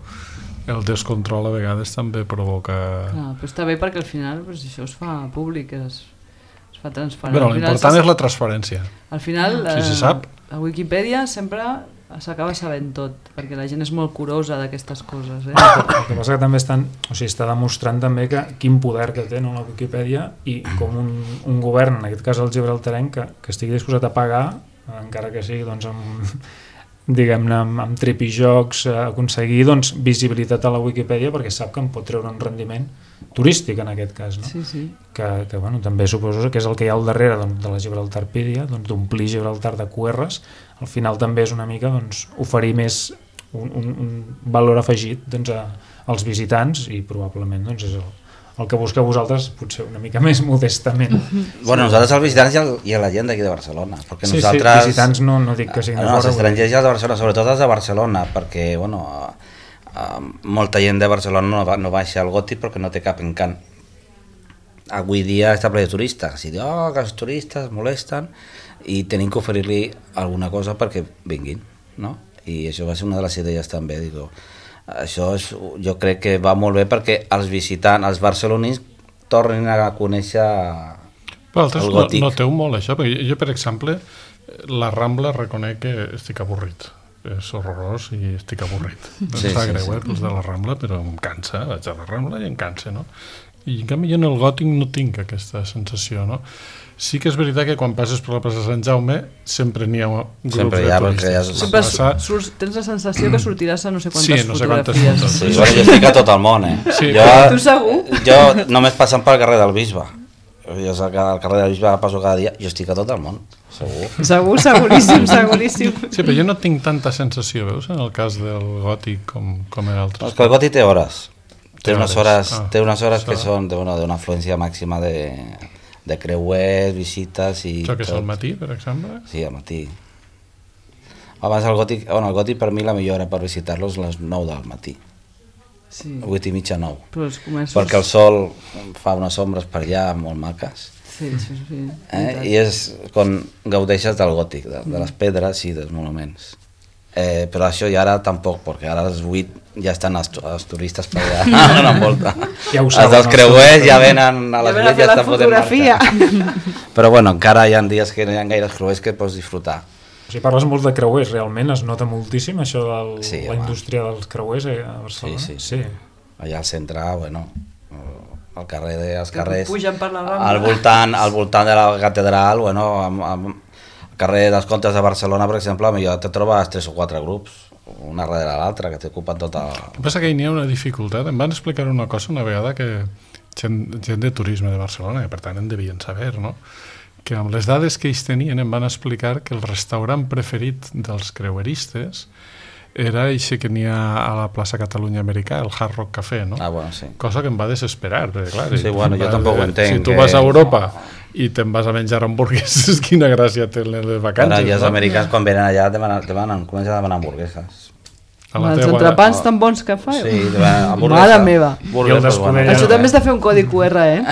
el descontrol a vegades també provoca... Però està bé perquè al final això es fa públic, es fa transparent. Però l'important és la transparència. Al final, si se sap... a Wikipedia sempre s'acaba sabent tot, perquè la gent és molt curosa d'aquestes coses. El que passa que també està demostrant també quin poder que té la Wikipedia, i com un govern, en aquest cas el gibraltarenc, que estigui disposat a pagar, encara que sigui amb tripijocs, aconseguir visibilitat a la Wikipedia, perquè sap que en pot treure un rendiment turístic en aquest cas, no? Sí. Que també suposo que és el que hi ha al darrere de la Gibraltarpedia, d'omplir Gibraltar de QRs. Al final també és una mica oferir més un valor afegit als visitants, i probablement és el que busqueu vosaltres, potser una mica més modestament. Bueno, nosaltres els visitants i a la gent d'aquí de Barcelona, perquè nosaltres... Sí, visitants no dic que siguin de fora. Els estrangers i els de Barcelona, sobretot els de Barcelona, perquè, molta gent de Barcelona no baixa al Gòtic perquè no té cap encant. Avui dia està ple de turistes, i diu, que els turistes molesten, i tenim que oferir-li alguna cosa perquè vinguin, no? I això va ser una de les idees també, digo... Això jo crec que va molt bé perquè els visitants, els barcelonins, tornin a conèixer el Gòtic. Noteu molt això, perquè jo, per exemple, la Rambla reconec que estic avorrit. És horrorós i estic avorrit. Em fa greu, els de la Rambla, però em cansa, vaig a la Rambla i em cansa, no? I en canvi jo en el gòtic no tinc aquesta sensació, no? Sí que és veritat que quan passes per la plaça Sant Jaume sempre n'hi ha grups de turistes. Tens la sensació que sortiràs a no sé quantes fotografies. Sí, bueno, jo estic a tot el món, Sí. Tu segur? Jo només passant pel carrer del Bisbe. Jo sé que al carrer del Bisbe passo cada dia, jo estic a tot el món, segur. Seguríssim. Sí, però jo no tinc tanta sensació, veus, en el cas del gòtic com en altres. És que el gòtic té hores. Té unes hores que són d'una afluència màxima de creuers, visites i això que és al matí, per exemple? Sí, al matí. Abans el gòtic per mi la millor hora per visitar-lo és les 9 del matí. 8:30, 9. Perquè el sol fa unes ombres per allà molt maques. Sí. I és quan gaudeixes del gòtic, de les pedres i dels monuments. Però això ja ara tampoc, perquè ara a les 8 ja estan els turistes per allà donant volta. Els dels creuers ja venen a les 8 ja estan fotent marxa. Però bueno, encara hi ha dies que no hi ha gaires creuers que pots disfrutar. Si parles molt de creuers, realment es nota moltíssim això de la indústria dels creuers a Barcelona? Sí. Allà al centre, bueno, al carrer dels carrers, pugen per la Rambla. Al voltant de la catedral, bueno, al carrer dels Comtes de Barcelona, per exemple, millor te trobes 3 o 4 grups, una darrere l'altra, que t'ocupen tota... El que passa que hi ha una dificultat. Em van explicar una cosa una vegada que gent de turisme de Barcelona, que per tant en devien saber, no? Que amb les dades que ells tenien em van explicar que el restaurant preferit dels creueristes era això que n'hi ha a la plaça Catalunya Americà, el Hard Rock Café, no? Bueno, sí. Cosa que em va desesperar, perquè clar... Sí, bueno, jo tampoc ho entenc. Si tu vas a Europa i te'n vas a menjar hamburgueses, quina gràcia tenen les vacances. Ara, i els americans quan venen allà comencen a demanar hamburgueses. Els entrepans tan bons que fa. Sí, hamburguesa. Mare meva. Això també és de fer un codi QR,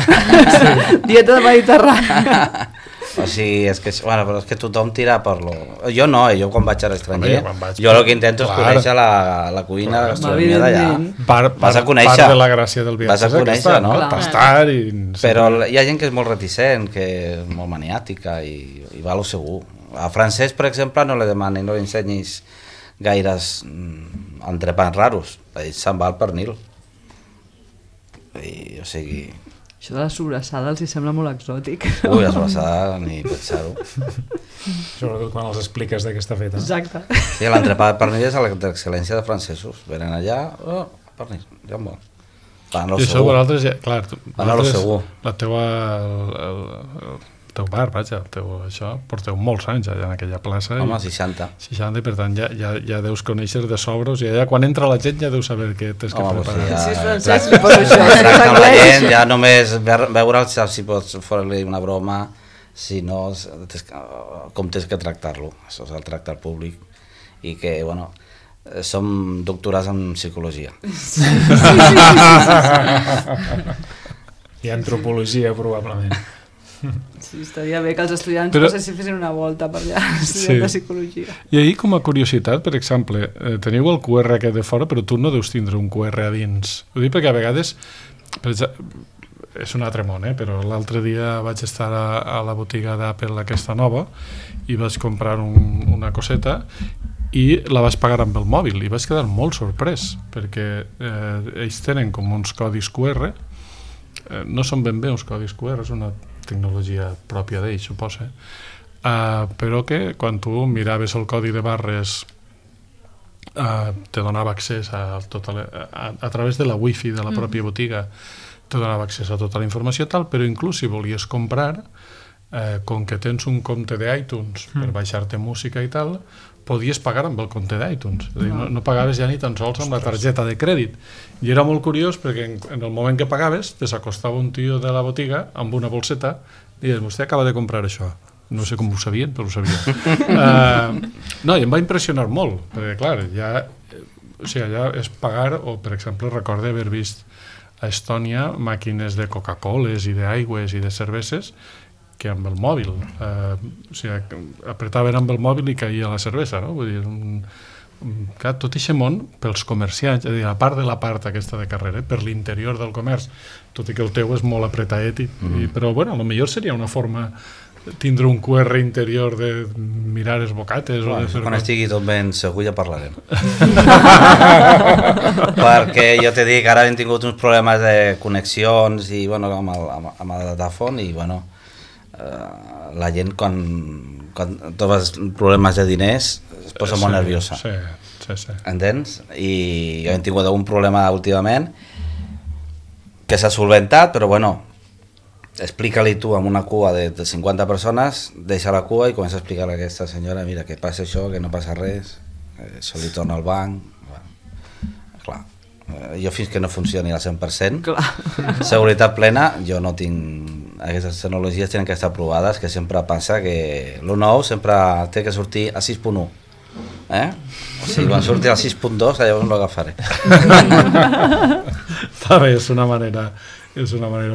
Dieta de Mediterrània. O sigui, és que tothom tira per lo... Jo no, jo quan vaig a l'estranger, jo el que intento és conèixer la cuina, la gastronomia d'allà. Vas a conèixer. Part de la gràcia del viatge és aquesta, no? Tastar i... Però hi ha gent que és molt reticent, que és molt maniàtica i va a lo segur. A francès, per exemple, no li demanin, no li ensenyis gaires entrepans raros. Ell se'n va al pernil. O sigui... Això de la sobrassada els sembla molt exòtic. Ui, la sobrassada, ni pensar-ho. Sobretot quan els expliques de què està feta. Exacte. Sí, l'entrepà de pernil és l'excel·lència de francesos. Venen allà, pernil, ja en vol. Van a lo segur. Clar, van a lo segur. La teua... El teu bar, vaja, això, porteu molts anys allà en aquella plaça. Home, 60. 60, i per tant ja deus conèixer de sobres, i allà quan entra la gent ja deus saber què tens que preparar. Si és francès, li poso això. Tracta amb la gent, ja només veure'l si pots fer-li una broma, si no, com tens que tractar-lo. Això és el tracte al públic. I que, bueno, som doctorats en psicologia. I antropologia, probablement. Sí, estaria bé que els estudiants fessin una volta per allà, estudiant de psicologia. I ahir, com a curiositat, per exemple, teniu el QR aquest de fora, però tu no deus tindre un QR a dins. Ho dic perquè a vegades, és un altre món, però l'altre dia vaig estar a la botiga d'Apple aquesta nova i vaig comprar una coseta i la vaig pagar amb el mòbil i vaig quedar molt sorprès perquè ells tenen com uns codis QR, no són ben bé uns codis QR, és una tecnologia pròpia d'ells, suposa, però que quan tu miraves el codi de barres te donava accés a través de la wifi de la pròpia botiga, te donava accés a tota la informació tal, però inclús si volies comprar, com que tens un compte d'iTunes per baixar-te música i tal, podies pagar amb el compte d'iTunes, és a dir, no pagaves ja ni tan sols amb la targeta de crèdit, i era molt curiós perquè en el moment que pagaves te s'acostava un tio de la botiga amb una bolseta i dius, vostè acaba de comprar això, no sé com ho sabien, però ho sabien. No, i em va impressionar molt, perquè clar, ja és pagar, o per exemple recorde haver vist a Estònia màquines de Coca-Coles i d'aigües i de cerveses que amb el mòbil, o sigui, apretaven amb el mòbil i caïa la cervesa, no? Vull dir, tot aquest món, pels comerciants, és a dir, a part de la part aquesta de carrera, per l'interior del comerç, tot i que el teu és molt apretaet, però bueno, potser seria una forma tindre un QR interior de mirar els bocates o de fer... Quan estigui tot ben segur ja parlarem. Perquè jo te dic, ara hem tingut uns problemes de connexions i, bueno, amb el datafon i, bueno, la gent quan tots els problemes de diners es posa molt nerviosa. Sí. Entens? I hem tingut algun problema últimament que s'ha solventat, però bueno, explica-li tu amb una cua de 50 persones, deixa la cua i comença a explicar-li a aquesta senyora, mira, que passa això, que no passa res, això li torna al banc. Bueno, clar, jo fins que no funcioni al 100%, seguretat plena, jo no tinc... Aquestes tecnologies tenen que estar provades, que sempre passa que el nou sempre té que sortir a 6.1. O sigui, quan surti al 6.2 llavors no l'agafaré. Està bé, és una manera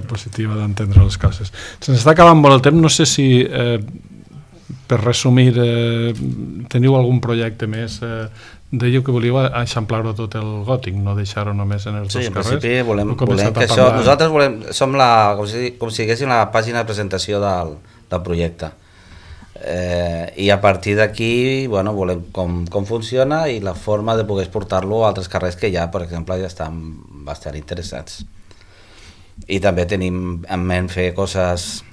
positiva d'entendre les coses. Se'ns està acabant molt el temps, no sé si per resumir teniu algun projecte més. Dèieu que volíeu eixamplar-ho tot el gòtic, no deixar-ho només en els dos carrers. Sí, en principi volem que això, nosaltres som com si diguéssim la pàgina de presentació del projecte. I a partir d'aquí, bueno, volem com funciona i la forma de poder exportar-lo a altres carrers que ja, per exemple, ja estan bastant interessats. I també tenim en ment fer coses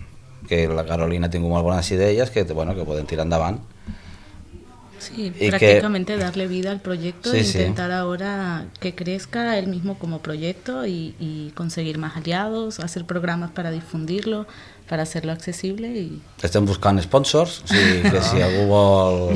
que la Carolina ha tingut molt bones idees que podem tirar endavant. Sí, prácticamente darle vida al proyecto e intentar ahora que crezca él mismo como proyecto y conseguir más aliados, hacer programas para difundirlo, para hacerlo accesible. Estem buscant sponsors, o sigui que si algú vol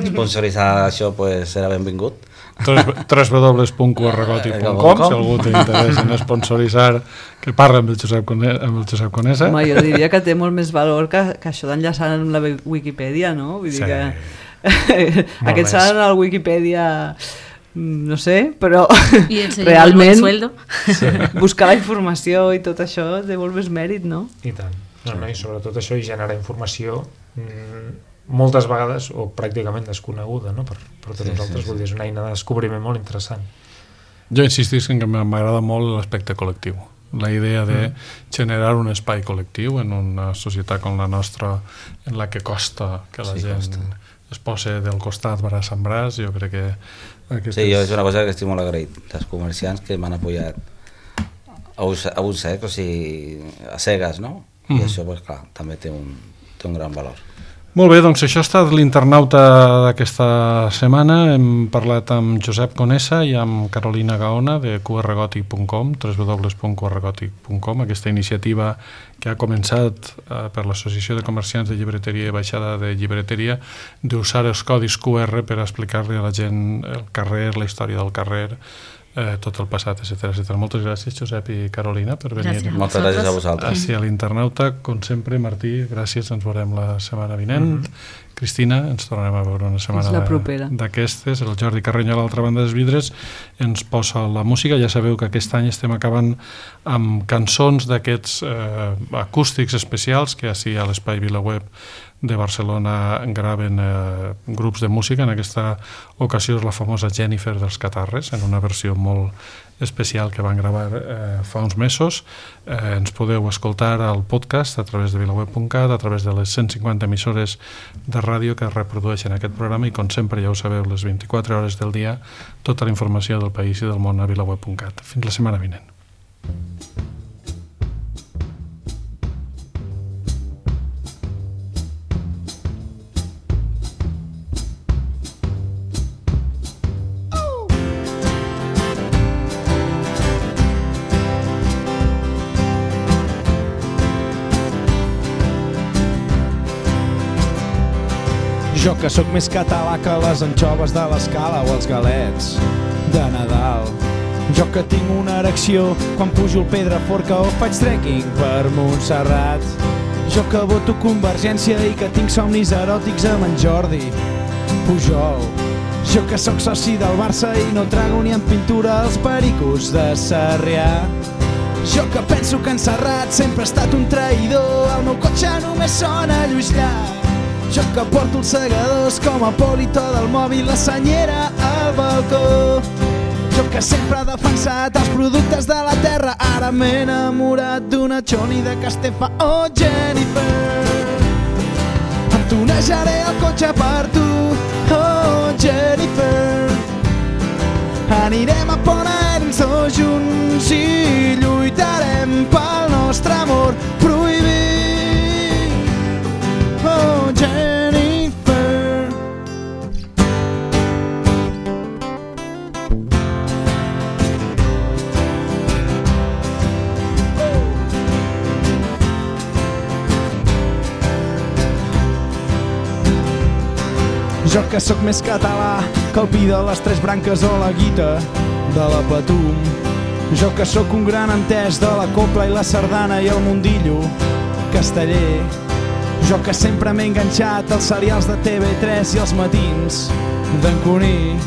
sponsoritzar això pues serà benvingut. www.qrgòtic.com si algú té interès en sponsoritzar, que parla amb el Josep Conesa. Home, jo diria que té molt més valor que això d'enllaçar amb la Wikipedia, no? Vull dir que aquests seran al Wikipedia, no sé, però realment buscar la informació i tot això té molt més mèrit, no? I tant. I sobretot això i generar informació moltes vegades o pràcticament desconeguda, no? Per tots nosaltres, vull dir, és una eina de descobriment molt interessant. Jo insistisc en que m'agrada molt l'aspecte col·lectiu, la idea de generar un espai col·lectiu en una societat com la nostra en la que costa que la gent es posa del costat braç amb braç. Jo crec que sí, jo és una cosa que estic molt agraït dels comerciants que m'han apoyat a un sec, o sigui, a cegues, no? I això, pues, clar, també té un gran valor. Molt bé, doncs això ha estat l'internauta d'aquesta setmana. Hem parlat amb Josep Conesa i amb Carolina Gaona de qrgòtic.com, www.qrgòtic.com, aquesta iniciativa que ha començat per l'Associació de Comerciants de Llibreteria i Baixada de Llibreteria d'usar els codis QR per explicar-li a la gent el carrer, la història del carrer, tot el passat, etc. Moltes gràcies, Josep i Carolina, per venir. Moltes gràcies a vosaltres. Així a l'internauta, com sempre, Martí, gràcies, ens veurem la setmana vinent. Cristina, ens tornarem a veure una setmana d'aquestes. El Jordi Carrenyol, a l'altra banda dels vidres, ens posa la música. Ja sabeu que aquest any estem acabant amb cançons d'aquests acústics especials que així a l'Espai VilaWeb de Barcelona graven grups de música. En aquesta ocasió és la famosa Jennifer dels Catarres, en una versió molt especial que van gravar fa uns mesos. Ens podeu escoltar al podcast a través de vilaweb.cat, a través de les 150 emissores de ràdio que reprodueixen aquest programa i, com sempre, ja ho sabeu, les 24 hores del dia, tota la informació del país i del món a vilaweb.cat. Fins la setmana vinent. Jo que sóc més català que les anxoves de l'Escala o els galets de Nadal. Jo que tinc una erecció quan pujo al Pedraforca o faig trekking per Montserrat. Jo que voto Convergència i que tinc somnis eròtics amb en Jordi Pujol. Jo que sóc soci del Barça i no trago ni en pintura els pericos de Sarrià. Jo que penso que en Serrat sempre ha estat un traïdor, el meu cotxe només sona Lluís Llach. Jo que porto els segadors com a polito del mòbil, la senyera al balcó. Jo que sempre he defensat els productes de la terra, ara m'he enamorat d'una Choni de Castefa o Jennifer. tunejaré el cotxe per tu, oh Jennifer. Anirem a Pont Aeri tots junts i lluitarem pel nostre amor prohibit, oh Jennifer. Jo que sóc més català que el pi de les tres branques o la guita de la Patum. Jo que sóc un gran entès de la copla i la sardana i el mundillo casteller. Jo que sempre m'he enganxat als serials de TV3 i els matins d'en Cuní.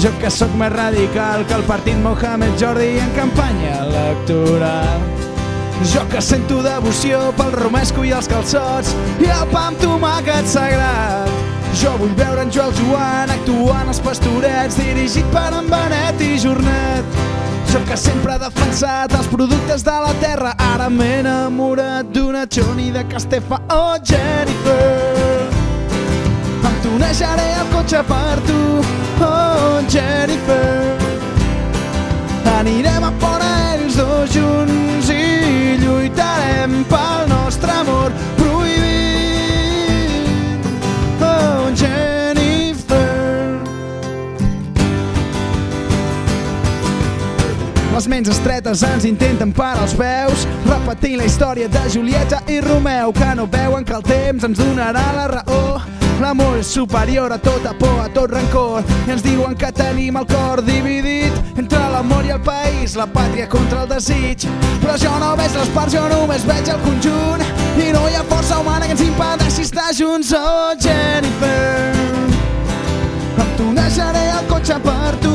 Jo que sóc més radical que el partit Mohamed Jordi en campanya electoral. Jo que sento devoció pel romesco i els calçots i el pa amb tomàquet sagrat. Jo vull veure en Joel Joan actuant als Pastorets, dirigit per en Benet i Jornet. Jo que sempre he defensat els productes de la terra, ara m'he enamorat d'una Johnny de Castefa, oh Jennifer. Em tunejaré el cotxe per tu, oh Jennifer. Anirem a Pont Aeri els dos junts i lluitarem pel nostre amor prohibit, oh Jennifer. Les ments estretes ens intenten parar els peus, repetint la història de Julieta i Romeu, que no veuen que el temps ens donarà la raó. L'amor és superior a tota por, a tot rancor, i ens diuen que tenim el cor dividit entre l'amor i el país, la pàtria contra el desig. Però jo no veig les parts, jo només veig el conjunt, i no hi ha força humana que ens impedeixi estar junts, oh Jennifer. Em tunejaré el cotxe per tu,